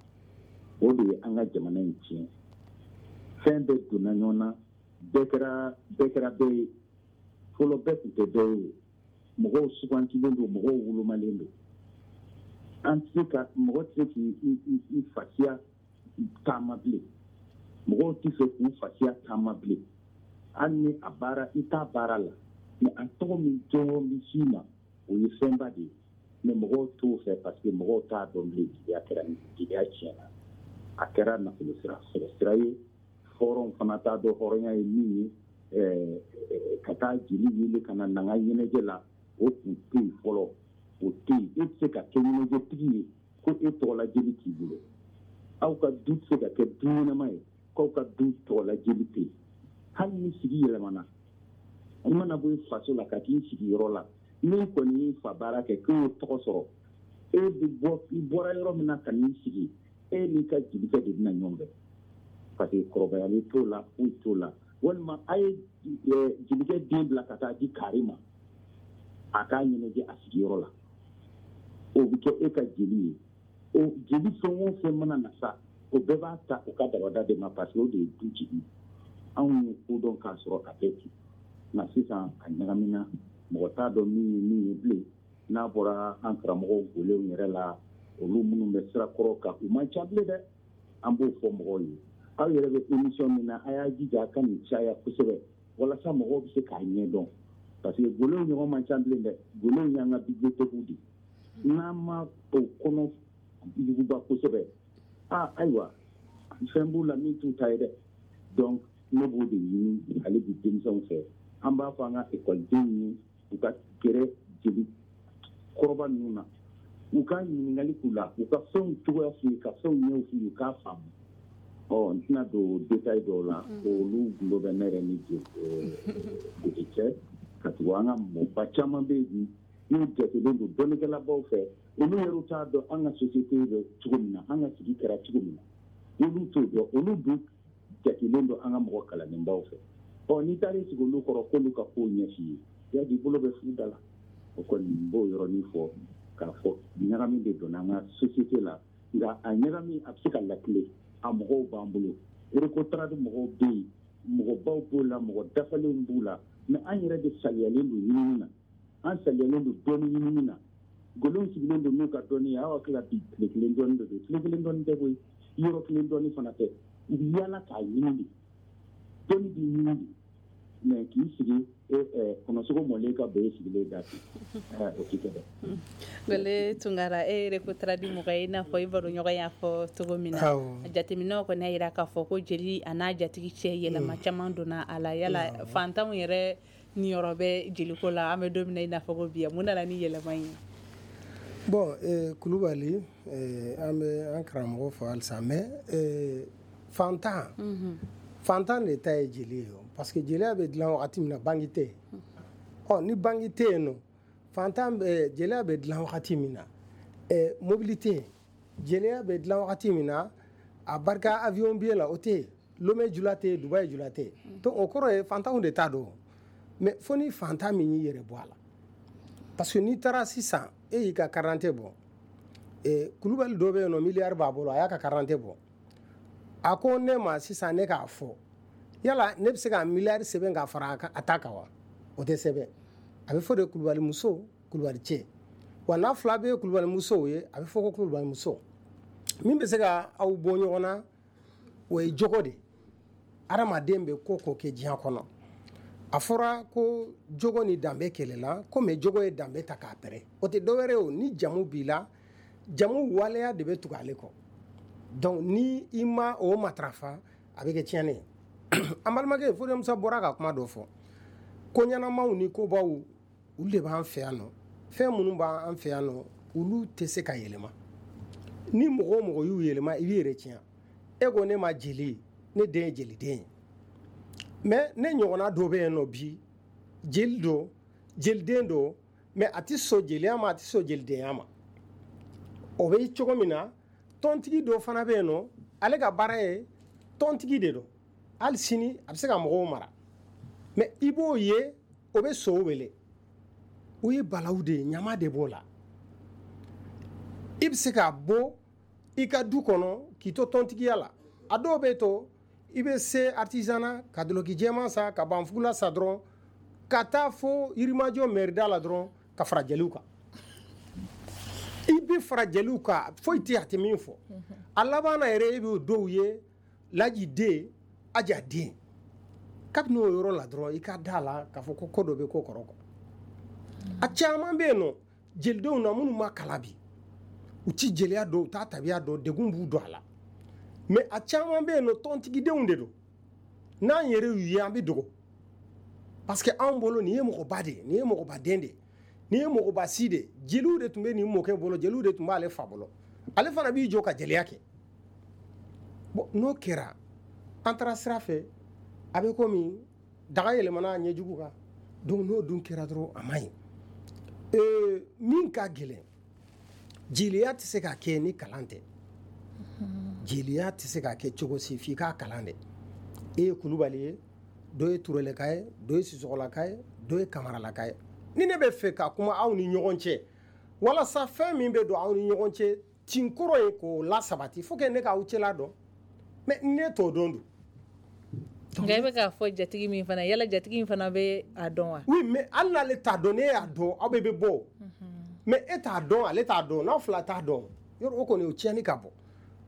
[SPEAKER 5] o de ye an ka jamana in tiɲɛ. Fɛn bɛɛ donna ɲɔgɔn na, bɛɛ kɛra bɛɛ kɛra bɛɛ ye. Fɔlɔ bɛɛ tun tɛ dɔ ye, mɔgɔw sugantilen don, mɔgɔw wolomalen don. An tɛ se ka mɔgɔ tɛ se k'i fasiya taama bilen, mɔgɔw tɛ fɛ k'u fasiya taama bilen. Hali ni a baara i t'a baara la, mais a tɔgɔ min jɔyɔrɔ bɛ s'i ma, o ye fɛnba de ye. Mais mɔgɔw t'o fɛ parce que mɔgɔw t'a dɔn bilen. Jeliya kɛra jeliya tiɲɛna, a kɛra nafolo sira sɔrɔ sira ye. Hɔrɔn fana t'a dɔn hɔrɔnya ye min ye. Ka taa jeli wele ka na n'an ka ɲɛnajɛ la, o tun tɛ yen fɔlɔ, o tɛ yen. E tɛ se ka kɛ ɲɛnajɛtigi ye ko e tɔgɔla jeli t'i bolo. Aw ka du tɛ se ka kɛ du ɲɛnama ye k'aw ka du tɔgɔla jeli tɛ yen. Hali ni sigi yɛlɛmana, i mana bɔ i faso la ka t'i sigi yɔrɔ la, min kɔni y'i fa baara kɛ k'e y'o tɔgɔ sɔrɔ, e bɛ bɔ i bɔra yɔrɔ min na ka n'i sigi, e n'i ka jelikɛ de bɛna ɲɔgɔn fɛ, parce que kɔrɔbayali t'o la, foyi t'o la. Walima a ye jelikɛ den bila ka taa di kari ma, a k'a ɲɛnajɛ a sigiyɔrɔ la, o bɛ kɛ e ka jeli ye. O jeli fɛn o fɛn mana na sa, o bɛɛ b'a ta o ka dabada de ma, parce que o de ye du jeli ye. Anw ye ko dɔn k'a sɔrɔ a bɛɛ ten, nka sisan a ɲagamina, mɔgɔ t'a dɔn min ye min ye bilen. N'a bɔra an karamɔgɔw golenw yɛrɛ la, olu minnu bɛ sira kɔrɔ kan, u man ca bilen dɛ. An b'o fɔ mɔgɔw ye, aw yɛrɛ bɛ émission min na, a y'a jija a ka nin caya kosɛbɛ walasa mɔgɔw bɛ se k'a ɲɛdɔn, parce que golenw ɲɔgɔn man ca bilen dɛ. Golenw y'an ka bibliothèque de ye, n'an ma o kɔnɔ yuguba kosɛbɛ, aa ayiwa fɛn b'u la min t'u ta ye dɛ. Donc ne b'o de ɲini hali bi denmisɛnw fɛ. An b'a fɔ an ka ekɔlidenw ye, u ka gɛrɛ jeli kɔrɔba ninnu na, u ka ɲininkali k'u la, u ka fɛnw cogoya f'u ye, ka fɛnw ɲɛw f'u ye, u k'a faamu. Ɔ n tɛna don détail dɔw la, olu gundo bɛ ne yɛrɛ ni jeli cɛ. Ka tugu an ka mɔgɔba caman bɛ yen bi n'u jatelen don dɔnnikɛlabaw fɛ, olu yɛrɛ t'a dɔn an ka société bɛ cogo min na, an ka sigi kɛra cogo min na, olu t'o dɔn. Olu dun jatelen don an ka mɔgɔ kalannenbaw fɛ. Ɔ n'i taara i sigi olu kɔrɔ k'olu ka kow ɲɛf'i ye, yadi bolo bɛ fu da la. O kɔni n b'o yɔrɔnin fɔ k'a fɔ ɲagami de donna an ka société la, nka a ɲagami a bɛ se ka lakile. A mɔgɔw b'an bolo, Recotrade mɔgɔw bɛ yen, mɔgɔbaw b'o la, mɔgɔ dafalenw b'u la, mais an yɛrɛ de saliyalen don ɲinini na, an saliyalen don dɔnni ɲinini na. Golenw sigilen don n'u ka dɔnni ye, aw hakili la bi tile kelen dɔnni de don, tile kelen dɔnni tɛ koyi, yɔrɔ kelen dɔnni fana tɛ. U bɛ yaala k'a ɲini de, dɔnni bɛ ɲini de. Mais k'i sigi kɔnɔsogo mɔlen ka bɛn e sigilen da ten, o tɛ kɛ dɛ.
[SPEAKER 3] Gole Tunkara, e Recotrade mɔgɔ ye, i n'a fɔ i baroɲɔgɔn y'a fɔ cogo min na. Jateminɛw kɔni y'a jira k'a fɔ ko jeli a n'a jatigi cɛ yɛlɛma caman donna a la. Yala fantanw yɛrɛ niyɔrɔ bɛ jeliko la an bɛ don min na i n'a fɔ ko bi, mun nana ni yɛlɛma in ye?
[SPEAKER 4] Bon Kulubali, an bɛ an karamɔgɔ fɔ halisa, mais fantan fantan de ta ye jeli ye, parce que jeliya bɛ dilan wagati min na banki tɛ yen. Ɔ ni banki tɛ yen nɔ, fantan bɛ jeliya bɛ dilan wagati min na, mobili tɛ yen. Jeliya bɛ dilan wagati min na, a barika avion billet la o tɛ yen, Lomé jula tɛ yen, Dubaï jula tɛ yen. Donc o kɔrɔ ye fantanw de t'a dɔn, mais fo ni fantan min y'i yɛrɛ bɔ a la, parce que n'i taara sisan e y'i ka carte d'identité bɔ, Kulubali dɔ bɛ yen nɔ miliyari b'a bolo, a y'a ka carte d'identité bɔ, a ko ne ma sisan ne k'a fɔ, yala ne bɛ se ka miliyari sɛbɛn k'a fara a ta kan wa? O tɛ sɛbɛn. A bɛ fɔ de Kulubali muso, Kulubali cɛ. Wa n'a fila bɛ ye Kulubali musow ye, a bɛ fɔ ko Kulubali muso. Min bɛ se ka aw bɔ ɲɔgɔn na, o ye jogo de. Adamaden bɛ ko ko kɛ diɲɛ kɔnɔ, a fɔra ko jogo ni danbe kɛlɛla, komi jogo ye danbe ta k'a pɛrɛ. O tɛ dɔwɛrɛ ye o, ni jamu b'i la, jamu waleya de bɛ tugu ale kɔ. Donc ni i ma o matarafa, a bɛ kɛ tiɲɛni ye. An balimakɛ Fode Musa bɔra ka kuma dɔ fɔ, ko ɲɛnamaw ni kobaw olu de b'an fɛ yan nɔ. Fɛn minnu b'an fɛ yan nɔ, olu tɛ se ka yɛlɛma. Ni mɔgɔ o mɔgɔ y'u yɛlɛma, i b'i yɛrɛ tiɲɛ. E ko ne ma jeli, ne den ye jeliden ye, mais ne ɲɔgɔnna dɔ bɛ yen nɔ bi, jeli don, jeliden don, mais a tɛ sɔn jeliya ma, a tɛ sɔn jelidenya ma. O bɛ cogo min na, tɔntigi dɔ fana bɛ yen nɔ, ale ka baara ye tɔntigi de don, hali sini a bɛ se ka mɔgɔw mara, mais i b'o ye o bɛ sow wele, o ye balawu de ye, ɲama de b'o la. I bɛ se ka bɔ i ka du kɔnɔ k'i to tɔntigiya la, a dɔw bɛ to i bɛ se artisanat ka dulɔki jɛman san ka banfugula san dɔrɔn, Ka taa fo Yirimajɔ mɛrida la dɔrɔn ka fara jeliw kan. I bɛ fara jeliw kan, foyi tɛ a tɛ min fɔ. A laban na yɛrɛ, e b'o dɔw ye, Laji den, Aja den. Kabini o yɔrɔ la dɔrɔn, i ka da la k'a fɔ ko ko dɔ bɛ ko kɔrɔ kɔ. A caman bɛ yen nɔ jelidenw na minnu ma kalan bi, u ti jeliya dɔn, u t'a tabiya dɔn, degun b'u don a la. Mais a caman bɛ yen nɔ, tɔntigidenw de don. N'an yɛrɛ y'u ye, an bɛ dogo. Parce que anw bolo nin ye mɔgɔba de ye, nin ye mɔgɔbaden de ye, nin ye mɔgɔba si de ye. Jeliw de tun bɛ nin mɔkɛ bolo, jeliw de tun b'ale fa bolo. Ale fana b'i jɔ ka jeliya kɛ. Bon, n'o kɛra, an taara sira fɛ, a bɛ komi daga yɛlɛmana a ɲɛjugu kan. Donc n'o dun kɛra dɔrɔn, a man ɲi. Ee, min ka gɛlɛn, jeliya tɛ se ka kɛ ni kalan tɛ. Jeliya tɛ se ka kɛ cogo si f'i k'a kalan dɛ. E ye Kulubali ye, dɔ ye Tureleka ye, dɔ ye Sisɔgɔlaka ye, dɔ ye Kamaralaka ye. Ni ne bɛ fɛ ka kuma aw ni ɲɔgɔn cɛ, walasa fɛn min bɛ don aw ni ɲɔgɔn cɛ tinkɔrɔ ye k'o lasabati, faut que ne k'aw cɛla dɔn. Mais ne t'o dɔn dun.
[SPEAKER 3] Nka i bɛ k'a fɔ jatigi min fana, yala jatigi in fana bɛ a dɔn wa?
[SPEAKER 4] Oui, mais hali n'ale t'a dɔn, ne y'a dɔn, aw bɛɛ bɛ bɔ. Mais e t'a dɔn, ale t'a dɔn, n'aw fila t'a dɔn, yɔrɔ o kɔni o tiɲɛni ka bɔ.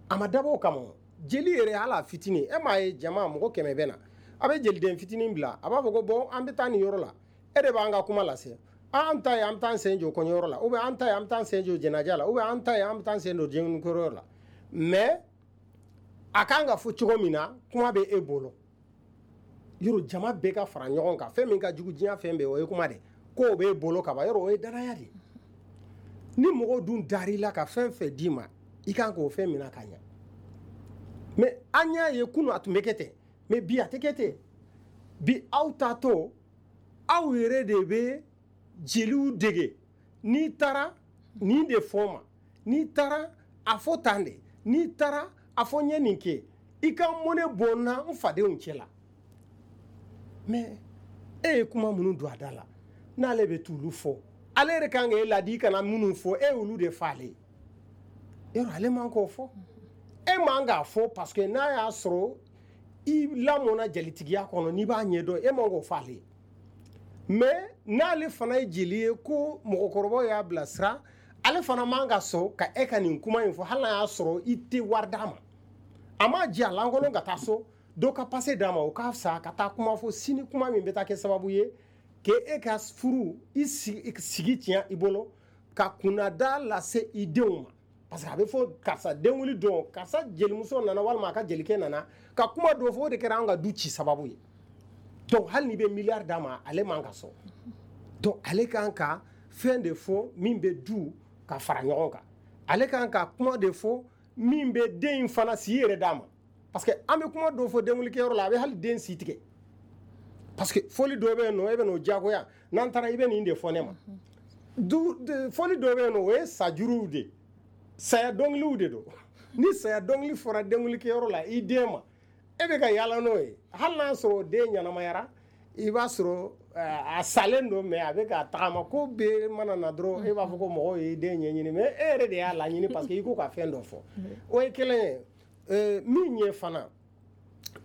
[SPEAKER 4] A ma dabɔ o kama. Jeli yɛrɛ, hali a fitinin, e m'a ye jama mɔgɔ kɛmɛ bɛ na, a bɛ jeliden fitinin bila, a b'a fɔ ko bon, an bɛ taa nin yɔrɔ la, e de b'an ka kuma lase. An ta ye an bɛ taa sen jɔ kɔɲɔyɔrɔ la, ou bien an ta ye an bɛ taa sen jɔ jɛnɛja la, ou bien an ta ye an bɛ taa sen don denkɛyɔrɔ la. Mais a kan ka fɔ cogo min na, kuma bɛ e bolo. Yɔrɔ jama bɛɛ ka fara ɲɔgɔn kan, fɛn min ka jugu diɲɛ fɛn bɛɛ, o ye kuma de. K'o b'e bolo ka ban, yɔrɔ o ye danaya de ye. Ni mɔgɔw dun dar'i la ka fɛn fɛn d'i ma, i kan k'o fɛn minɛ ka ɲɛ. Mais an y'a ye kunun a tun bɛ kɛ ten, mais bi a tɛ kɛ ten. Bi aw taatɔ, aw yɛrɛ de bɛ jeliw dege. N'i taara nin de fɔ n ma, n'i taara a fɔ tan de, n'i taara a fɔ n ye nin kɛ, i ka mɔnɛ bɔ n na n fadenw cɛ la. Mais e ye kuma minnu don a da la, n'ale bɛ t'olu fɔ, ale yɛrɛ kan k'e ladi i kana minnu fɔ, e y'olu de fɔ ale ye. Yɔrɔ ale man k'o fɔ, e man k'a fɔ, parce que n'a y'a sɔrɔ i lamɔnna jelitigiya kɔnɔ, n'i b'a ɲɛdɔn, e man k'o fɔ ale ye. Mais n'ale fana ye jeli ye ko mɔgɔkɔrɔbaw y'a bilasira, ale fana man ka sɔn ka e ka nin kuma in fɔ, hali n'a y'a sɔrɔ i tɛ wari d'a ma. A m'a jɛ a lankolon ka taa so, dɔ ka passe d'a ma, o ka fisa ka taa kuma fɔ sini, kuma min bɛ taa kɛ sababu ye k'e ka furu i sigi tiɲɛ i bolo, ka kunnada lase i denw ma. Parce que a bɛ fɔ karisa denwuli don, karisa jelimuso nana walima a ka jelikɛ nana ka kuma dɔ fɔ, o de kɛra an ka du ci sababu ye. Donc hali n'i bɛ miliyari d'a ma, ale man ka sɔn. Donc ale kan ka fɛn de fɔ min bɛ du ka fara ɲɔgɔn kan. Ale kan ka kuma de fɔ min bɛ den in fana si yɛrɛ d'a ma. Parce que an bɛ kuma dɔ fɔ denwulikɛyɔrɔ la, a bɛ hali den si tigɛ. Parce que fɔli dɔ bɛ yen nɔ, e bɛ n'o diyagoya, n'an taara i bɛ nin de fɔ ne ma. Du fɔli dɔ bɛ yen nɔ, o ye sajuruw de ye, saya dɔnkiliw de don. Ni saya dɔnkili fɔra denwulikɛyɔrɔ la i den ma, e bɛ ka yaala n'o ye. Hali n'a sɔrɔ den ɲɛnamayara, i b'a sɔrɔ a salen don, mais a bɛ ka tagama. Ko bɛɛ mana na dɔrɔn, e b'a fɔ ko mɔgɔw ye den ɲɛɲini, mais e yɛrɛ de y'a laɲini, parce que i ko ka fɛn dɔ fɔ. O ye kelen ye. Min ye fana,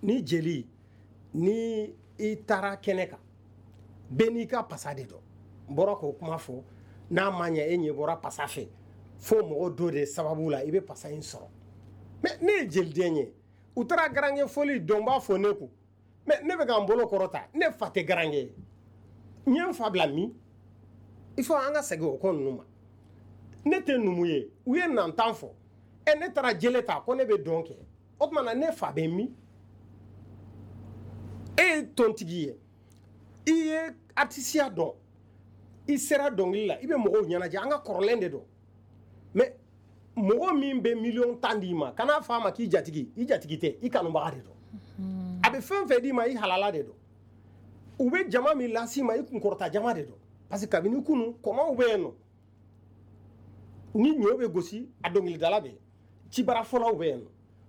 [SPEAKER 4] ni jeli, ni i taara kɛnɛ kan, bɛɛ n'i ka pasa de don. N bɔra k'o kuma fɔ, n'a ma ɲɛ e ɲɛ bɔra pasa fɛ, fo mɔgɔ dɔ de sababu la i bɛ pasa in sɔrɔ. Mais ne ye jeliden ye, u taara garankɛ fɔli dɔn b'a fɔ ne kun, mais ne bɛ ka n bolo kɔrɔta, ne fa tɛ garankɛ ye, n ye n fa bila min? Il faut an ka segin o ko ninnu ma. Ne tɛ numu ye, u ye nantan fɔ, ɛ ne taara jele ta ko ne bɛ dɔn kɛ, o tuma na ne fa bɛ min? E ye tontigi ye, i ye artisiya dɔn, i sera dɔnkili la, i bɛ mɔgɔw ɲɛnajɛ, an ka kɔrɔlen de don. Mais mɔgɔ min bɛ miliyɔn tan d'i ma, kan'a fɔ a ma k'i jatigi, i jatigi tɛ, i kanubaga de don. A bɛ fɛn fɛn d'i ma, i halala de don. U bɛ jama min las'i ma, i kunkɔrɔta jama de don. Parce que kabini kunun, kɔmaw bɛ yen nɔ, ni ɲɔ bɛ gosi, a dɔnkilidala bɛ yen, cibarafɔlaw bɛ yen nɔ,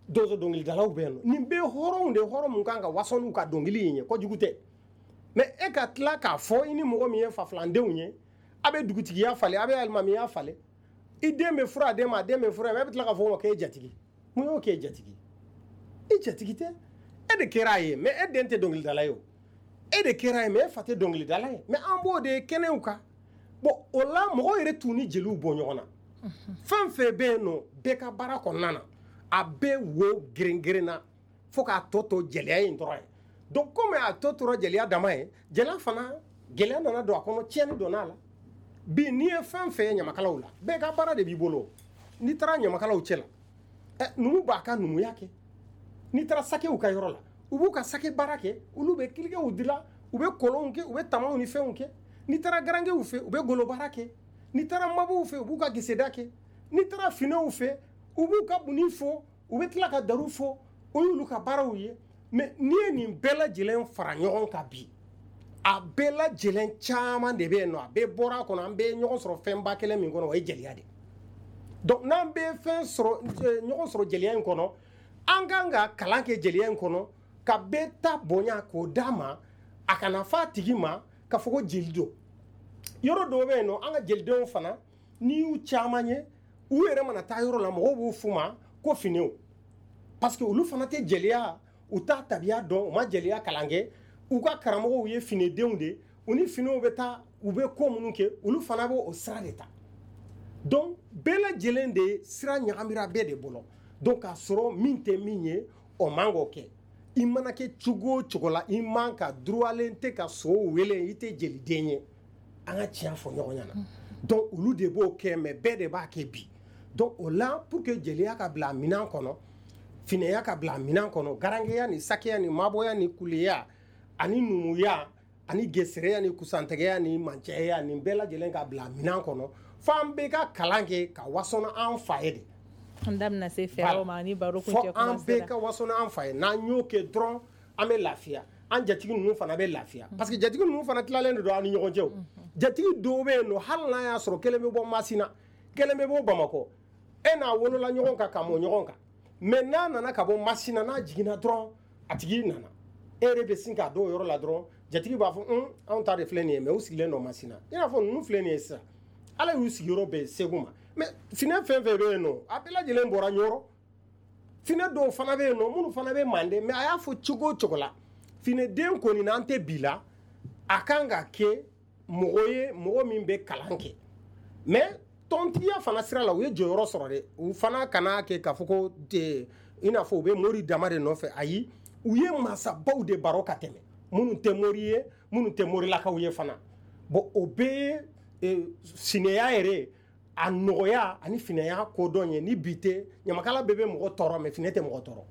[SPEAKER 4] donso dɔnkilidalaw bɛ yen nɔ. Nin bɛɛ hɔrɔnw de, hɔrɔn mun kan ka waso n'u ka dɔnkili in ye, kojugu tɛ. Mais e ka tila k'a fɔ i ni mɔgɔ min ye fafilandenw ye, a bɛ dugutigiya falen, a bɛ alimamiya falen, i den bɛ furu a den ma, a den bɛ furu a ma, e bɛ tila k'a fɔ o ma k'e jatigi. Mun y'o k'e jatigi? I jatigi tɛ, e de kɛra a ye, mais e den tɛ dɔnkilidala ye o. E de kɛra ye, mais e fa tɛ dɔnkilidala ye, mais an b'o de ye kɛnɛw kan. Bon, o la mɔgɔw yɛrɛ t'u ni jeliw bɔ ɲɔgɔn na. Fɛn fɛn bɛ yen nɔ, bɛɛ ka baara kɔnɔna na, a bɛɛ wo geren-geren na fo k'a tɔ to jeliya in dɔrɔn ye. Donc komi a tɔ tora jeliya dama ye, jeliya fana gɛlɛya nana don a kɔnɔ, tiɲɛni donna a la. Bi n'i ye fɛn fɛn ye ɲamakalaw la, bɛɛ ka baara de b'i bolo. N'i taara ɲamakalaw cɛ la, ɛ numu b'a ka numuya kɛ. N'i taara sakew ka yɔrɔ la, u b'u ka sake baara kɛ, olu bɛ kirikew dilan, u bɛ kɔlɔnw kɛ, u bɛ tamaw ni fɛnw kɛ. N'i taara garankew fɛ, u bɛ golo baara kɛ. N'i taara mabuw fɛ, u b'u ka geseda kɛ. N'i taara finɛw fɛ, u b'u ka bunni fɔ, u bɛ tila ka daru fɔ. O y'olu ka baaraw ye. Mais n'i ye nin bɛɛ lajɛlen fara ɲɔgɔn kan bi, a bɛɛ lajɛlen caman de bɛ yen nɔ, a bɛɛ bɔra a kɔnɔ, an bɛɛ ye ɲɔgɔn sɔrɔ fɛnba kelen min kɔnɔ, o ye jeliya de. Donc n'an bɛɛ fɛn sɔrɔ ɲɔgɔn sɔrɔ jeliya in kɔnɔ, an kan ka kalan kɛ jeliya in kɔnɔ, ka bɛɛ ta bonya k'o d'a ma, a kana f'a tigi ma k'a fɔ ko jeli don. Yɔrɔ dɔw bɛ yen nɔ, an ka jelidenw fana, n'i y'u caman ye, u yɛrɛ mana taa yɔrɔ la, mɔgɔw b'u f'u ma ko finew, parce que olu fana tɛ jeliya, u t'a tabiya dɔn, u ma jeliya kalan kɛ. U ka karamɔgɔw ye finedenw de, u ni finew bɛ taa, u bɛ ko minnu kɛ, olu fana b'o sira de ta. Donc bɛɛ lajɛlen de sira ɲagamira bɛɛ de bolo. Donc k'a sɔrɔ min tɛ min ye, o man k'o kɛ. I mana kɛ cogo o cogo la, i man ka droitlen tɛ ka so wele, i tɛ jeliden ye. An ka tiɲɛ fɔ ɲɔgɔn ɲɛna. Donc olu de b'o kɛ, mais bɛɛ de b'a kɛ bi. Donc o la, pour que jeliya ka bila minɛn kɔnɔ, finɛya ka bila minɛn kɔnɔ, garankeya ni sakeya ni mabɔya ni kuleya ani numuya ani gesereya ni kusantigɛya ni mancɛya, nin bɛɛ lajɛlen ka bila minɛn kɔnɔ, f'an bɛɛ ka kalan kɛ ka waso an fa ye de.
[SPEAKER 3] An da bɛna se fɛɛrɛw ma ni baro kuncɛ kuma sera.
[SPEAKER 4] Fo an bɛɛ ka waso an fa ye. N'an y'o kɛ dɔrɔn, an bɛ lafiya. An jatigi ninnu fana bɛ lafiya, parce que jatigi ninnu fana tilalen de don an ni ɲɔgɔn cɛ. Jatigi dɔw bɛ yen nɔ, hali n'a y'a sɔrɔ kelen bɛ bɔ Masina, kelen bɛ bɔ Bamakɔ, e n'a wolola ɲɔgɔn kan ka mɔ ɲɔgɔn kan, mais n'a nana ka bɔ Masina, n'a jiginna dɔrɔn, a tigi nana, e yɛrɛ bɛ sin k'a dɔw yɔrɔ la dɔrɔn, jatigi b'a fɔ un anw ta de filɛ nin ye, mais u sigilen don Masina. I n'a fɔ ninnu filɛ nin ye sisan, Ala y'u sigiyɔrɔ bɛn Segu ma, mais finɛ fɛn fɛn bɛ yen nɔ, a bɛɛ lajɛlen bɔra Ɲɔrɔ. Finɛ dɔw fana bɛ yen nɔ, minnu fana bɛ Manden, mais a y'a fɔ cogo o cogo la, finɛden kɔni n'an tɛ bi la, a kan ka kɛ mɔgɔ ye, mɔgɔ min bɛ kalan kɛ. Mais tɔntigiya fana sira la, u ye jɔyɔrɔ sɔrɔ dɛ. U fana kana kɛ k'a fɔ ko i n'a fɔ u bɛ mori dama de nɔfɛ. Ayi, u ye masabaw de baro ka tɛmɛ, minnu tɛ mori ye, minnu tɛ morilakaw ye fana. Bon, o bɛɛ ye sinɛya yɛrɛ a nɔgɔya ani finɛya kodɔn ye. Ni bi tɛ, ɲamakala bɛɛ bɛ mɔgɔ tɔɔrɔ, mais finɛ tɛ mɔgɔ tɔɔrɔ.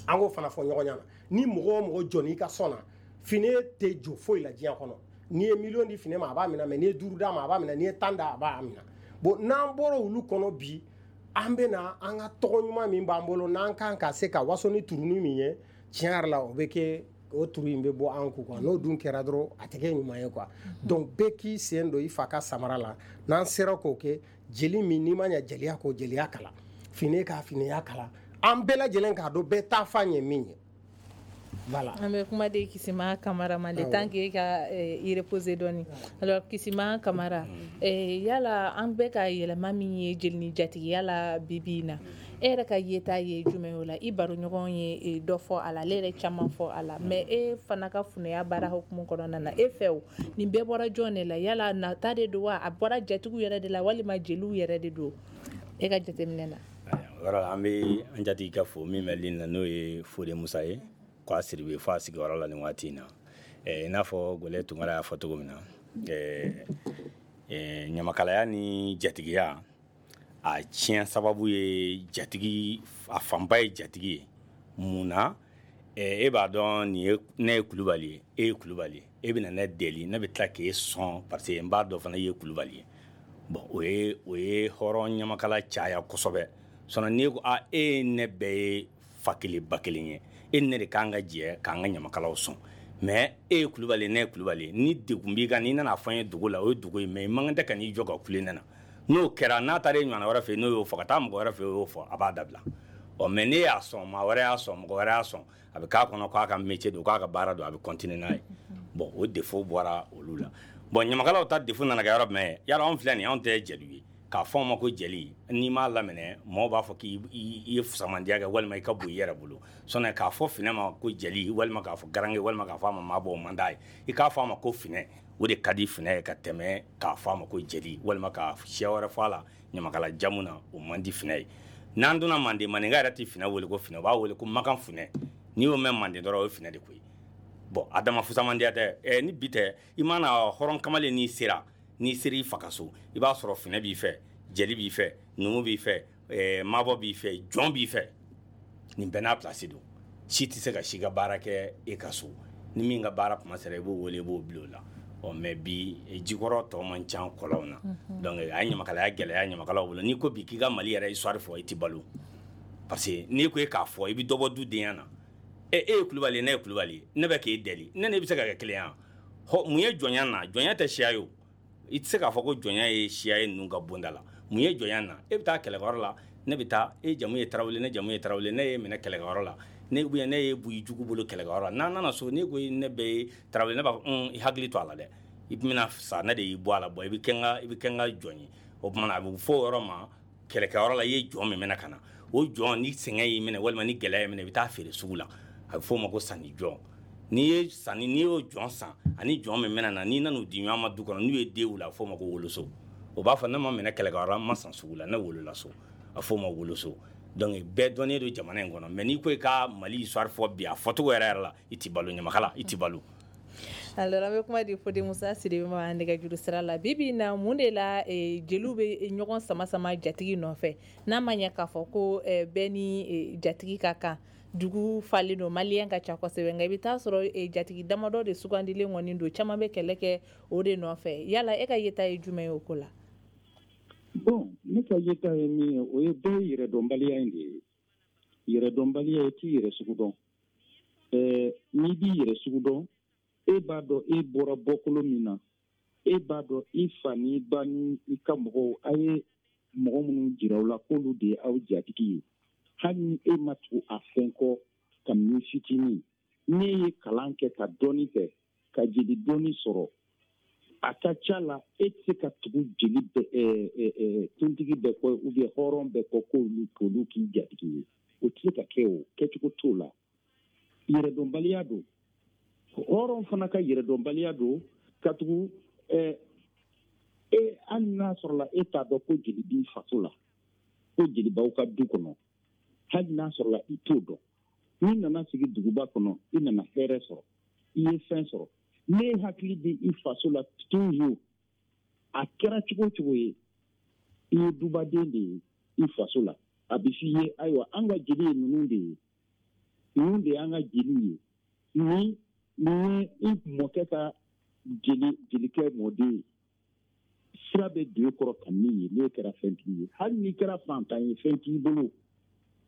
[SPEAKER 4] An k'o fana fɔ ɲɔgɔn ɲɛna. Ni mɔgɔ o mɔgɔ jɔn'i ka sɔn na, finɛ tɛ jɔ foyi la diɲɛ kɔnɔ. N'i ye miliyɔn di finɛ ma, a b'a minɛ, mais n'i ye duuru d'a ma, a b'a minɛ, n'i ye tan d'a a b'a minɛ. Bon, n'an bɔra olu kɔnɔ bi, an bɛ na an ka tɔgɔ ɲuman min b'an bolo, n'an kan ka se ka waso ni turunin min ye, tiɲɛ yɛrɛ la, o bɛ kɛ o turu in bɛ bɔ an kun quoi. N'o dun kɛra dɔrɔn, a tɛ kɛ ɲuman ye quoi. Donc bɛɛ k'i sen don i fa ka samara la. N'an sera k'o kɛ, jeli min n'i ma ɲɛ jeliya k'o jeliya kalan, finɛ k'a finɛya kalan, an bɛɛ lajɛlen k'a dɔn bɛɛ taa fan ye min ye. Voilà.
[SPEAKER 3] An bɛ kuma di Kisima Kamara ma, le temps que ka i reposer dɔɔni. Alors Kisima Kamara, yala an bɛ ka yɛlɛma min ye jeli ni jatigiya la bi bi in na, e yɛrɛ ka yeta ye jumɛn o la? I baroɲɔgɔn ye dɔ fɔ a la, ale yɛrɛ caman fɔ a la, mais e fana ka funɛya baara hukumu kɔnɔna na, e fɛ o nin bɛɛ bɔra jɔn de la? Yala nata de don wa, a bɔra jatigiw yɛrɛ de la walima jeliw yɛrɛ de don, e ka jateminɛ na?
[SPEAKER 2] O yɔrɔ la, an bɛ an jatigi ka fo min bɛ ligne na, n'o ye Fode Musa ye, k'a Siribe fo a sigiyɔrɔ la nin waati in na. I n'a fɔ Gole Tunkara y'a fɔ cogo min na, ɲamakalaya ni jatigiya a tiɲɛ sababu ye jatigi, a fanba ye jatigi ye. Mun na? E b'a dɔn nin ye, ne ye Kulubali ye, e ye Kulubali ye, e bɛna ne deli, ne bɛ tila k'e sɔn parce que n b'a dɔn fana i ye Kulubali ye. Bon, o ye o ye hɔrɔn ɲamakala caya kosɛbɛ. Sinon n'e ko a e ye ne bɛɛ ye fa kelen ba kelen ye, e ni ne de k'an ka jɛ k'an ka ɲamakalaw sɔn, mais e ye Kulubali, ne ye Kulubali, ni degun b'i kan, n'i nana fɔ n ye dugu la, o ye dugu ye, mais i man kan tɛ ka n'i jɔ ka kule ne na. N'o kɛra, n'a taara e ɲɔgɔnna wɛrɛ fɛ, n'o y'o fɔ, ka taa mɔgɔ wɛrɛ fɛ, o y'o fɔ, a b'a dabila. Ɔ mais n'e y'a sɔn, maa wɛrɛ y'a sɔn, mɔgɔ wɛrɛ y'a sɔn, a bɛ k'a kɔnɔ k'a ka métier don, k'a ka baara don, a bɛ continuer n'a ye. Bon, o défaut bɔra olu la. Bon, ɲamakalaw ta défaut nana kɛ yɔrɔ jumɛn ye? Yala anw filɛ nin ye, anw tɛ jeliw ye, K'a fɔ a ma ko jeli, n'i m'a laminɛ, mɔgɔw b'a fɔ k'i ye fusamandiya kɛ walima i ka bon i yɛrɛ bolo. Sɔnni k'a fɔ finɛ ma ko jeli, walima k'a fɔ garange, walima k'a fɔ a ma maabɔ, o man d'a ye. I k'a fɔ a ma ko finɛ, o de ka di finɛ ye ka tɛmɛ k'a fɔ a ma ko jeli, walima k'a siya wɛrɛ fɔ a la ɲamakala jamu na, o man di finɛ ye. N'an donna Manden, maninka yɛrɛ tɛ finɛ wele ko finɛ, u b'a wele ko makan funɛ. N'i y'o mɛn Manden dɔrɔn, o ye finɛ de koyi. Bon, a dama fusamandiya tɛ. Ɛ ni bi tɛ, i mana hɔrɔn kamalen n'i sera, n'i sera i fa ka so, i b'a sɔrɔ finɛ b'i fɛ, jeli b'i fɛ, numu b'i fɛ, ɛɛ mabɔ b'i fɛ, jɔn b'i fɛ. Nin bɛɛ n'a place don. Si tɛ se ka si ka baara kɛ e ka so. Ni min ka baara kuma sera, i b'o wele, i b'o bila o la. Ɔ mais bi jikɔrɔ tɔ man ca kɔlɔnw na. Donc a ye ɲamakalaya gɛlɛya ɲamakalaw bolo. N'i ko bi k'i ka Mali yɛrɛ histoire fɔ, i tɛ balo. Parce que n'i ko e k'a fɔ, i bɛ dɔ bɔ du denya na. E e ye Kulubali ye, ne ye Kulubali ye, ne bɛ k'e deli, ne ne bɛ se ka kɛ kelen ye. Mun ye jɔnya na? Jɔnya tɛ siya ye o. I tɛ se k'a fɔ ko jɔnya ye siya ye ninnu ka bonda la. Mun ye jɔnya na? E bɛ taa kɛlɛkɛyɔrɔ la, ne bɛ taa, e jamu ye Tarawele, ne jamu ye Tarawele, ne ye minɛ kɛlɛkɛyɔrɔ la, ne ou bien ne ye Buyi jugu bolo kɛlɛkɛyɔrɔ la. N'an nana so, ne ko ne bɛ Tarawele, ne b'a fɔ i hakili to a la dɛ, i bɛna sa, ne de y'i bɔ a la, bɔn i bɛ kɛ n ka i bɛ kɛ n ka jɔn ye. O tuma na a bɛ fɔ o yɔrɔ ma kɛlɛkɛyɔrɔ la, i ye jɔn min minɛ ka na, o jɔn ni sɛgɛn y'i minɛ walima ni gɛlɛya y'i minɛ, i bɛ taa feere sugu la. A bɛ f'o ma ko sanni jɔn. N'i ye sanni, n'i y'o jɔn san ani jɔn min mɛna na, n'i nan'u di ɲɔgɔn ma du kɔnɔ, n'u ye den wolo, a bɛ f'o ma ko woloso. O b'a fɔ ne ma minɛ kɛlɛkɛyɔrɔ la, n ma san sugu la, ne wolola so, a bɛ f'o ma woloso. Donc bɛɛ dɔnnen don jamana in kɔnɔ. Mais n'i ko i ka Mali histoire fɔ bi, a fɔcogo yɛrɛ yɛrɛ la, i ti balo ɲamakala, i ti balo.
[SPEAKER 3] Alors an bɛ kuma di Fode Musa Sidibe ma nɛgɛjuru sira la. Bi bi in na, mun de la jeliw bɛ ɲɔgɔn sama sama jatigi nɔfɛ, n'a ma ɲɛ k'a fɔ ko bɛɛ ni jatigi ka kan? Dugu falen don, maliyɛn ka ca kosɛbɛ, nka i bɛ taa sɔrɔ jatigi damadɔ de sugandilen kɔni don, caman bɛ kɛlɛ kɛ o de nɔfɛ. Yala e ka yeta ye jumɛn ye o ko la?
[SPEAKER 5] Bon, ne ka yeta ye min ye, o ye bɛɛ ye yɛrɛdɔnbaliya in de ye. Yɛrɛdɔnbaliya ye t'i yɛrɛ sugu dɔn. Ɛɛ n'i b'i yɛrɛ sugu dɔn, e b'a dɔn e bɔra bɔkolo min na, e b'a dɔn i fa n'i ba ni i ka mɔgɔw, a ye mɔgɔ minnu jira aw la k'olu de ye aw jatigi ye. Hali ni e ma tugu a fɛn kɔ kabini fitinin, n'e ye kalan kɛ ka dɔɔni kɛ, ka jeli dɔɔni sɔrɔ, a ka ca la e tɛ se ka tugu jeli bɛɛ, kuntigi bɛɛ kɔ ou bien hɔrɔn bɛɛ kɔ k'olu k'olu k'i jatigi ye. O tɛ se ka kɛ, o kɛcogo t'o la. Yɛrɛdɔnbaliya don. Hɔrɔn fana ka yɛrɛdɔnbaliya don, ka tugu e hali n'a sɔrɔla e t'a dɔn ko jeli b'i faso la, ko jeli b'aw ka du kɔnɔ, hali n'a sɔrɔla i t'o dɔn, n'i nana sigi duguba kɔnɔ, i nana hɛrɛ sɔrɔ, i ye fɛn sɔrɔ, ne hakili bɛ i faso la toujours. A kɛra cogo o cogo ye, i ye dubaden de ye i faso la. A bɛ f'i ye ayiwa, an ka jeli ye ninnu de ye, ninnu de y'an ka jeliw ye, ni nin ye i mɔkɛ ka jeli jelikɛ mɔden ye, sira bɛ don e kɔrɔ ka min ye, n'e kɛra fɛntigi ye. Hali n'i kɛra fantan ye, fɛn t'i bolo,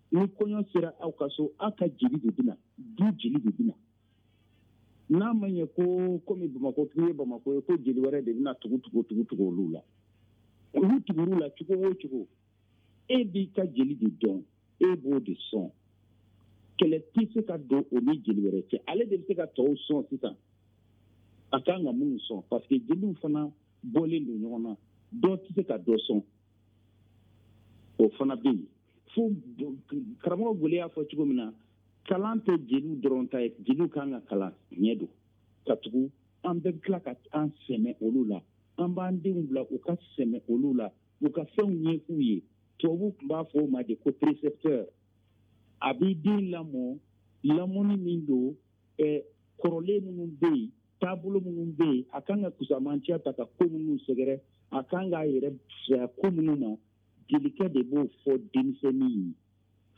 [SPEAKER 5] ni kɔɲɔ sera aw ka so, aw ka jeli de bɛna, du jeli de bɛna. N'a ma ɲɛ ko komi Bamakɔ k'i ye Bamakɔ ye, ko jeli wɛrɛ de bɛna tugu tugu tugu tugu olu la, olu tugur'u la cogo o cogo, e b'i ka jeli de dɔn, e b'o de sɔn. Kɛlɛ tɛ se ka don o ni jeli wɛrɛ cɛ. Ale de bɛ se ka tɔw sɔn sisan, a kan ka minnu sɔn, parce que jeliw fana bɔlen don ɲɔgɔn na, dɔ tɛ se ka dɔ sɔn, o fana bɛ yen. Fo karamɔgɔ Gole y'a fɔ cogo min na, kalan tɛ jeliw dɔrɔn ta ye, jeliw kan ka kalan ɲɛ don, ka tugu an bɛɛ bɛ tila ka an sɛmɛ olu la, an b'an denw bila u ka sɛmɛ olu la, u ka fɛnw ɲɛ k'u ye. Tubabuw tun b'a fɔ o ma de ko précepteur. A b'i den lamɔ, lamɔni min don, ɛ kɔrɔlen minnu bɛ yen, taabolo minnu bɛ yen, a kan ka kusamantiya ta ka ko minnu sɛgɛrɛ, a kan k'a yɛrɛ fisaya ko minnu ma, jelikɛ de b'o fɔ denmisɛnnin ye.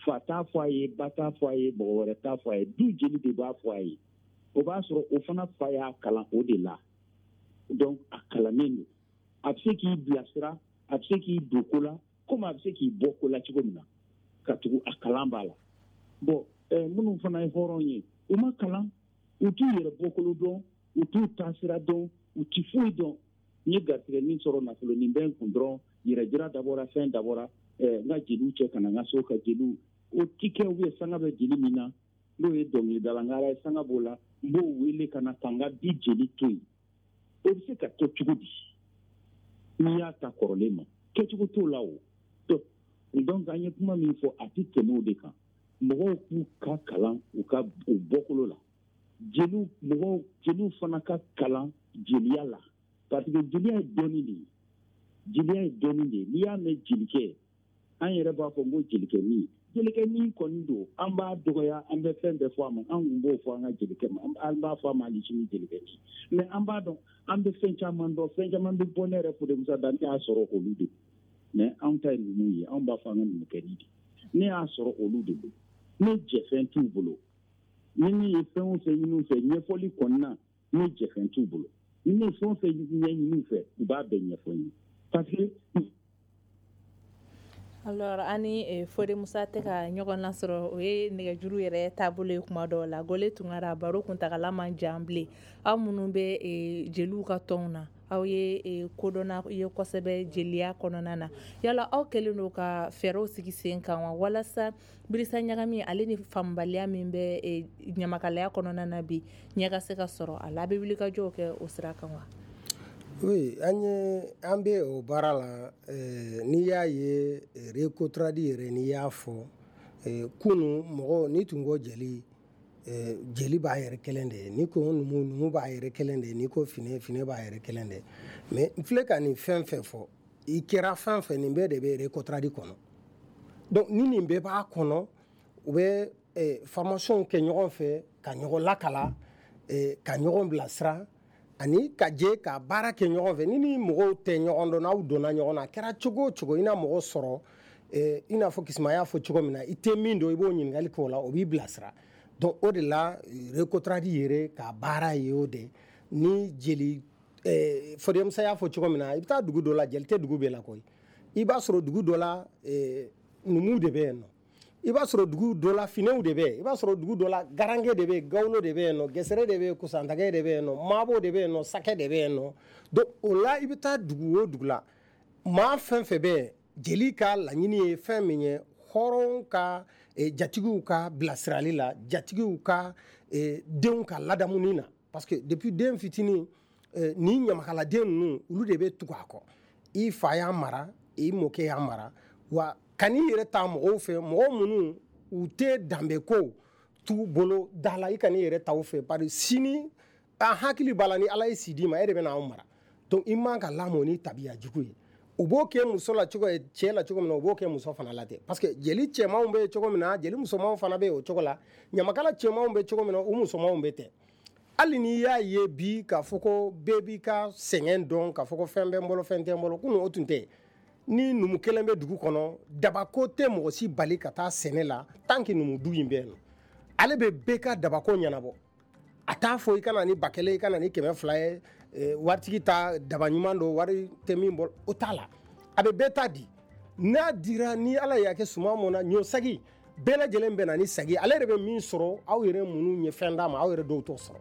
[SPEAKER 5] Fa t'a fɔ a ye, ba t'a fɔ a ye, mɔgɔ wɛrɛ t'a fɔ a ye, du jeli de b'a fɔ a ye. O b'a sɔrɔ o fana fa y'a kalan o de la. Donc a kalannen don, a bɛ se k'i bilasira, a bɛ se k'i don ko la, komi a bɛ se k'i bɔ ko la cogo min na, ka tugu a kalan b'a la. Bon, minnu fana ye hɔrɔn ye, u ma kalan, u t'u yɛrɛ bɔkolo dɔn, u t'u taasira dɔn, u ti foyi dɔn. N ye garisɛgɛ min sɔrɔ nafolo nin bɛ n kun dɔrɔn, yɛrɛjira dabɔra, fɛn dabɔra, n ka jeliw cɛ ka na n ka so ka jeliw, o ti kɛ. U ye sanga bɛ jeli min na, n'o ye dɔnkilidala n ka ala ye sanga b'o la, n b'o wele ka na ka n ka du jeli to yen. O bɛ se ka kɛ cogo di n'i y'a ta kɔrɔlen ma? Kɛcogo t'o la o. Donc an ye kuma min fɔ, a tɛ tɛmɛ o de kan. Mɔgɔw k'u ka kalan u ka u bɔkolo la. Jeliw mɔgɔw jeliw fana ka kalan jeliya la, parce que jeliya ye dɔnni de ye. Jeliya ye dɔnni de ye. N'i y'a mɛn jelikɛ, an yɛrɛ b'a fɔ n ko jelikɛnin. Jelikɛnin kɔni don, an b'a dɔgɔya, an bɛ fɛn bɛɛ fɔ a ma. An kun b'o fɔ an ka jelikɛ ma, an b'a fɔ a ma hali sini jelikɛnin. Mais an b'a dɔn, an bɛ fɛn caman dɔn, fɛn caman bɛ bɔ ne yɛrɛ Fode Musa da, ne y'a sɔrɔ olu de. Mais anw ta ye numu ye, anw b'a fɔ an ka numukɛnin de. Ne y'a sɔrɔ olu de bolo, ne jɛfɛn t'u bolo. Ni ne ye fɛn o fɛn ɲini u fɛ ɲɛfɔli kɔni na, ne jɛfɛn t'u bolo. Ni ne ye fɛn o fɛn ɲɛɲini u fɛ, u b'a bɛɛ ɲɛfɔ n ye. Parce que
[SPEAKER 3] Alors ani Fode Musa tɛ ka ɲɔgɔn lasɔrɔ, o ye nɛgɛjuru yɛrɛ taabolo ye kuma dɔw la. Gole Tunkara, baro kuntagala man jan bilen. Aw minnu bɛ jeliw ka tɔnw na, aw ye kodɔnna ye kosɛbɛ jeliya kɔnɔna na, yala aw kɛlen don ka fɛɛrɛw sigi sen kan wa, walasa birisa ɲagami ale ni faamubaliya min bɛ ɲamakalaya kɔnɔna na bi, ɲɛ ka se ka sɔrɔ a la? A bɛ wulikajɔw kɛ o sira kan wa?
[SPEAKER 4] Oui, an ye an bɛ o baara la. N'i y'a ye Recotrad yɛrɛ, n'i y'a fɔ kunun, mɔgɔ n'i tun ko jeli, jeli b'a yɛrɛ kelen de ye, n'i ko numu, numu b'a yɛrɛ kelen de ye, n'i ko finɛ, finɛ b'a yɛrɛ kelen de ye. Mais n filɛ ka nin fɛn fɛn fɔ, i kɛra fɛn fɛn, nin bɛɛ de bɛ Recotrad kɔnɔ. Donc ni nin bɛɛ b'a kɔnɔ, u bɛ formation kɛ ɲɔgɔn fɛ, ka ɲɔgɔn lakala, ka ɲɔgɔn bilasira, ani ka jɛ ka baara kɛ ɲɔgɔn fɛ. Ni ni mɔgɔw tɛ ɲɔgɔn dɔn, n'aw donna ɲɔgɔn na, a kɛra cogo o cogo, i na mɔgɔ sɔrɔ, i n'a fɔ Kisima y'a fɔ cogo min na, i tɛ min dɔn, i b'o ɲininkali kɛ o la, o b'i bilasira. Donc o de la Recotrad yɛrɛ ka baara ye o de. Ni jeli Fode Musa y'a fɔ cogo min na, i bɛ taa dugu dɔ la, jeli tɛ dugu bɛɛ la koyi. I b'a sɔrɔ dugu dɔ la numuw de bɛ yen nɔ, i b'a sɔrɔ dugu dɔ la finɛw de bɛ yen, i b'a sɔrɔ dugu dɔ la garankɛ de bɛ yen, gawlo de bɛ yen nɔ, gɛsɛrɛ de bɛ yen, kusantakɛ de bɛ yen nɔ, maabo de bɛ yen nɔ, sakɛ de bɛ yen nɔ. Donc o la i bɛ taa dugu o dugu la, maa fɛn fɛn bɛ yen, jeli ka laɲini ye fɛn min ye, hɔrɔn ka jatigiw ka bilasirali la, jatigiw ka denw ka ladamuni na. Parce que depuis den fitinin, ni ɲamakaladen ninnu, olu de bɛ tugu a kɔ. I fa y'a mara, i mɔkɛ y'a mara, wa kan'i yɛrɛ ta mɔgɔw fɛ, mɔgɔ minnu u tɛ danbe ko t'u bolo da la, i kan'i yɛrɛ ta u fɛ. Bari sini an hakili b'a la, ni Ala ye si d'i ma, e de bɛ n'anw mara. Donc i man ka lamɔ ni tabiya jugu ye. U b'o kɛ muso la cogo cɛ la cogo min na, u b'o kɛ muso fana la ten. Parce que jeli cɛmanw bɛ cogo min na, jeli musomanw fana bɛ o cogo la, ɲamakala cɛmanw bɛ cogo min na, u musomanw bɛ ten. Hali n'i y'a ye bi k'a fɔ ko bɛɛ b'i ka sɛgɛn dɔn, k'a fɔ ko fɛn bɛ n bolo, fɛn tɛ n bolo, kunun o tun tɛ. Ni numu kelen bɛ dugu kɔnɔ, dabako tɛ mɔgɔ si bali ka taa sɛnɛ la tant que numu du in bɛ yen nɔ. Ale bɛ bɛɛ ka dabako ɲɛnabɔ. A t'a fɔ i ka na ni ba kelen, i ka na ni kɛmɛ fila ye, waritigi ta daba ɲuman don, wari tɛ min bolo, o t'a la. A bɛ bɛɛ ta di. N'a dira, ni Ala y'a kɛ suman mɔnna, ɲɔ sagi bɛɛ lajɛlen bɛ na ni sagi, ale yɛrɛ bɛ min sɔrɔ, aw yɛrɛ minnu ye fɛn d'a ma, aw yɛrɛ dɔw t'o sɔrɔ.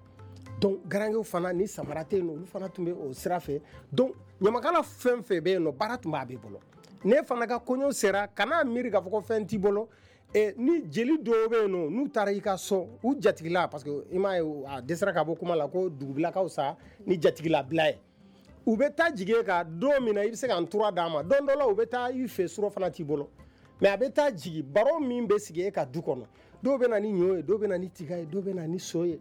[SPEAKER 4] Donc garankew fana ni samara tɛ yen nɔ, olu fana tun bɛ o sira fɛ. Donc ɲamakala fɛn fɛn bɛ yen nɔ, baara tun b'a bɛɛ bolo. Ne fana ka kɔɲɔ sera, kana miiri k'a fɔ ko fɛn t'i bolo. Ni jeli dɔw bɛ yen nɔ, n'u taara i ka so, u jatigila, parce que i m'a ye a dɛsɛra ka bɔ kuma la ko dugubilakaw sa ni jatigila bila ye, u bɛ taa jigin ka don min na, i bɛ se ka ntura d'a ma. Don dɔ la u bɛ taa i fɛ, suro fana t'i bolo, mais a bɛ taa jigin, baro min bɛ sigi e ka du kɔnɔ, dɔw bɛ na ni ɲɔ ye, dɔw bɛ na ni tiga ye, dɔw bɛ na ni so ye,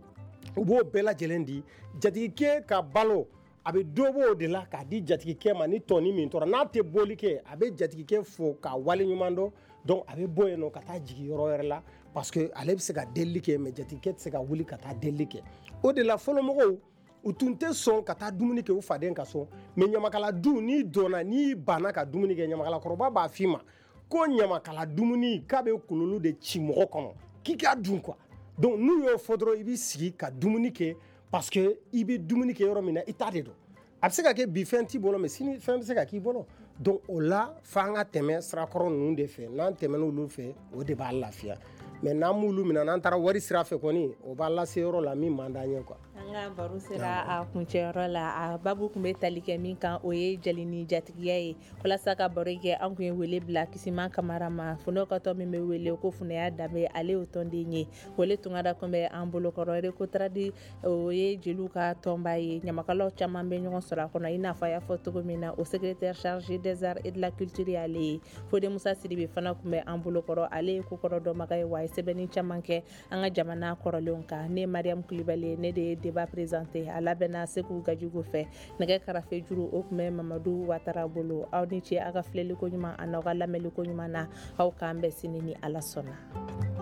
[SPEAKER 4] u b'o bɛɛ lajɛlen di jatigikɛ ka balo. A bɛ dɔ b'o de la k'a di jatigikɛ ma. Ni tɔni min tora, n'a tɛ bɔli kɛ, a bɛ jatigikɛ fo k'a wale ɲuman dɔn. Donc a bɛ bɔ yen nɔ ka taa jigin yɔrɔ wɛrɛ la, parce que ale bɛ se ka delili kɛ, mais jatigikɛ tɛ se ka wuli ka taa delili kɛ. O de la fɔlɔmɔgɔw u tun tɛ sɔn ka taa dumuni kɛ u faden ka so. Mais ɲamakala du, n'i donna, n'i banna ka dumuni kɛ, ɲamakalakɔrɔba b'a f'i ma ko ɲamakala dumuni k'a bɛ kololu de ci mɔgɔ kɔnɔ, k'i k'a dun quoi. Donc n'u y'o fɔ dɔrɔn, i b'i sigi ka dumuni kɛ, parce que i bɛ dumuni kɛ yɔrɔ min na, i ta de don. A bɛ se ka kɛ bi fɛn t'i bolo, mais sini fɛn bɛ se ka k'i bolo. Donc o la f'an ka tɛmɛ sirakɔrɔ ninnu de fɛ. N'an tɛmɛna olu fɛ, o de b'a lafiya. Mais n'an m'olu minɛ, n'an taara wari sira fɛ kɔni, o b'a lase yɔrɔ la min man d'an ye quoi.
[SPEAKER 3] An ka baro sera a kuncɛyɔrɔ la. A babu tun bɛ tali kɛ min kan, o ye jeli ni jatigiya ye. Walasa ka baro kɛ, an tun ye wele bila Kisima Kamara ma, Funɛw ka tɔn min bɛ wele ko Funɛya Danbe, ale y'o tɔnden ye. Wele Tunkara tun bɛ an bolokɔrɔ. Recotrade, o ye jeliw ka tɔnba ye, ɲamakalaw caman bɛ ɲɔgɔn sɔrɔ a kɔnɔ, i n'a fɔ a y'a fɔ cogo min na, o secrétaire chargé des arts et de la culture y'ale ye. Fode Musa Sidibe fana tun bɛ an bolokɔrɔ, ale ye kokɔrɔ dɔnbaga ye, wa a ye sɛbɛnni caman kɛ an ka jamana kɔrɔlenw kan. Ne Mariam Kulibali, ne de ye débat présenté, a labɛnna Segu Gajigo fɛ. Nɛgɛ karafe juru, o tun bɛ Mamadu Watara bolo. Aw ni ce aw ka filɛliko ɲuman a n'aw ka lamɛnliko ɲuman na. Aw k'an bɛn sini ni Ala sɔnna.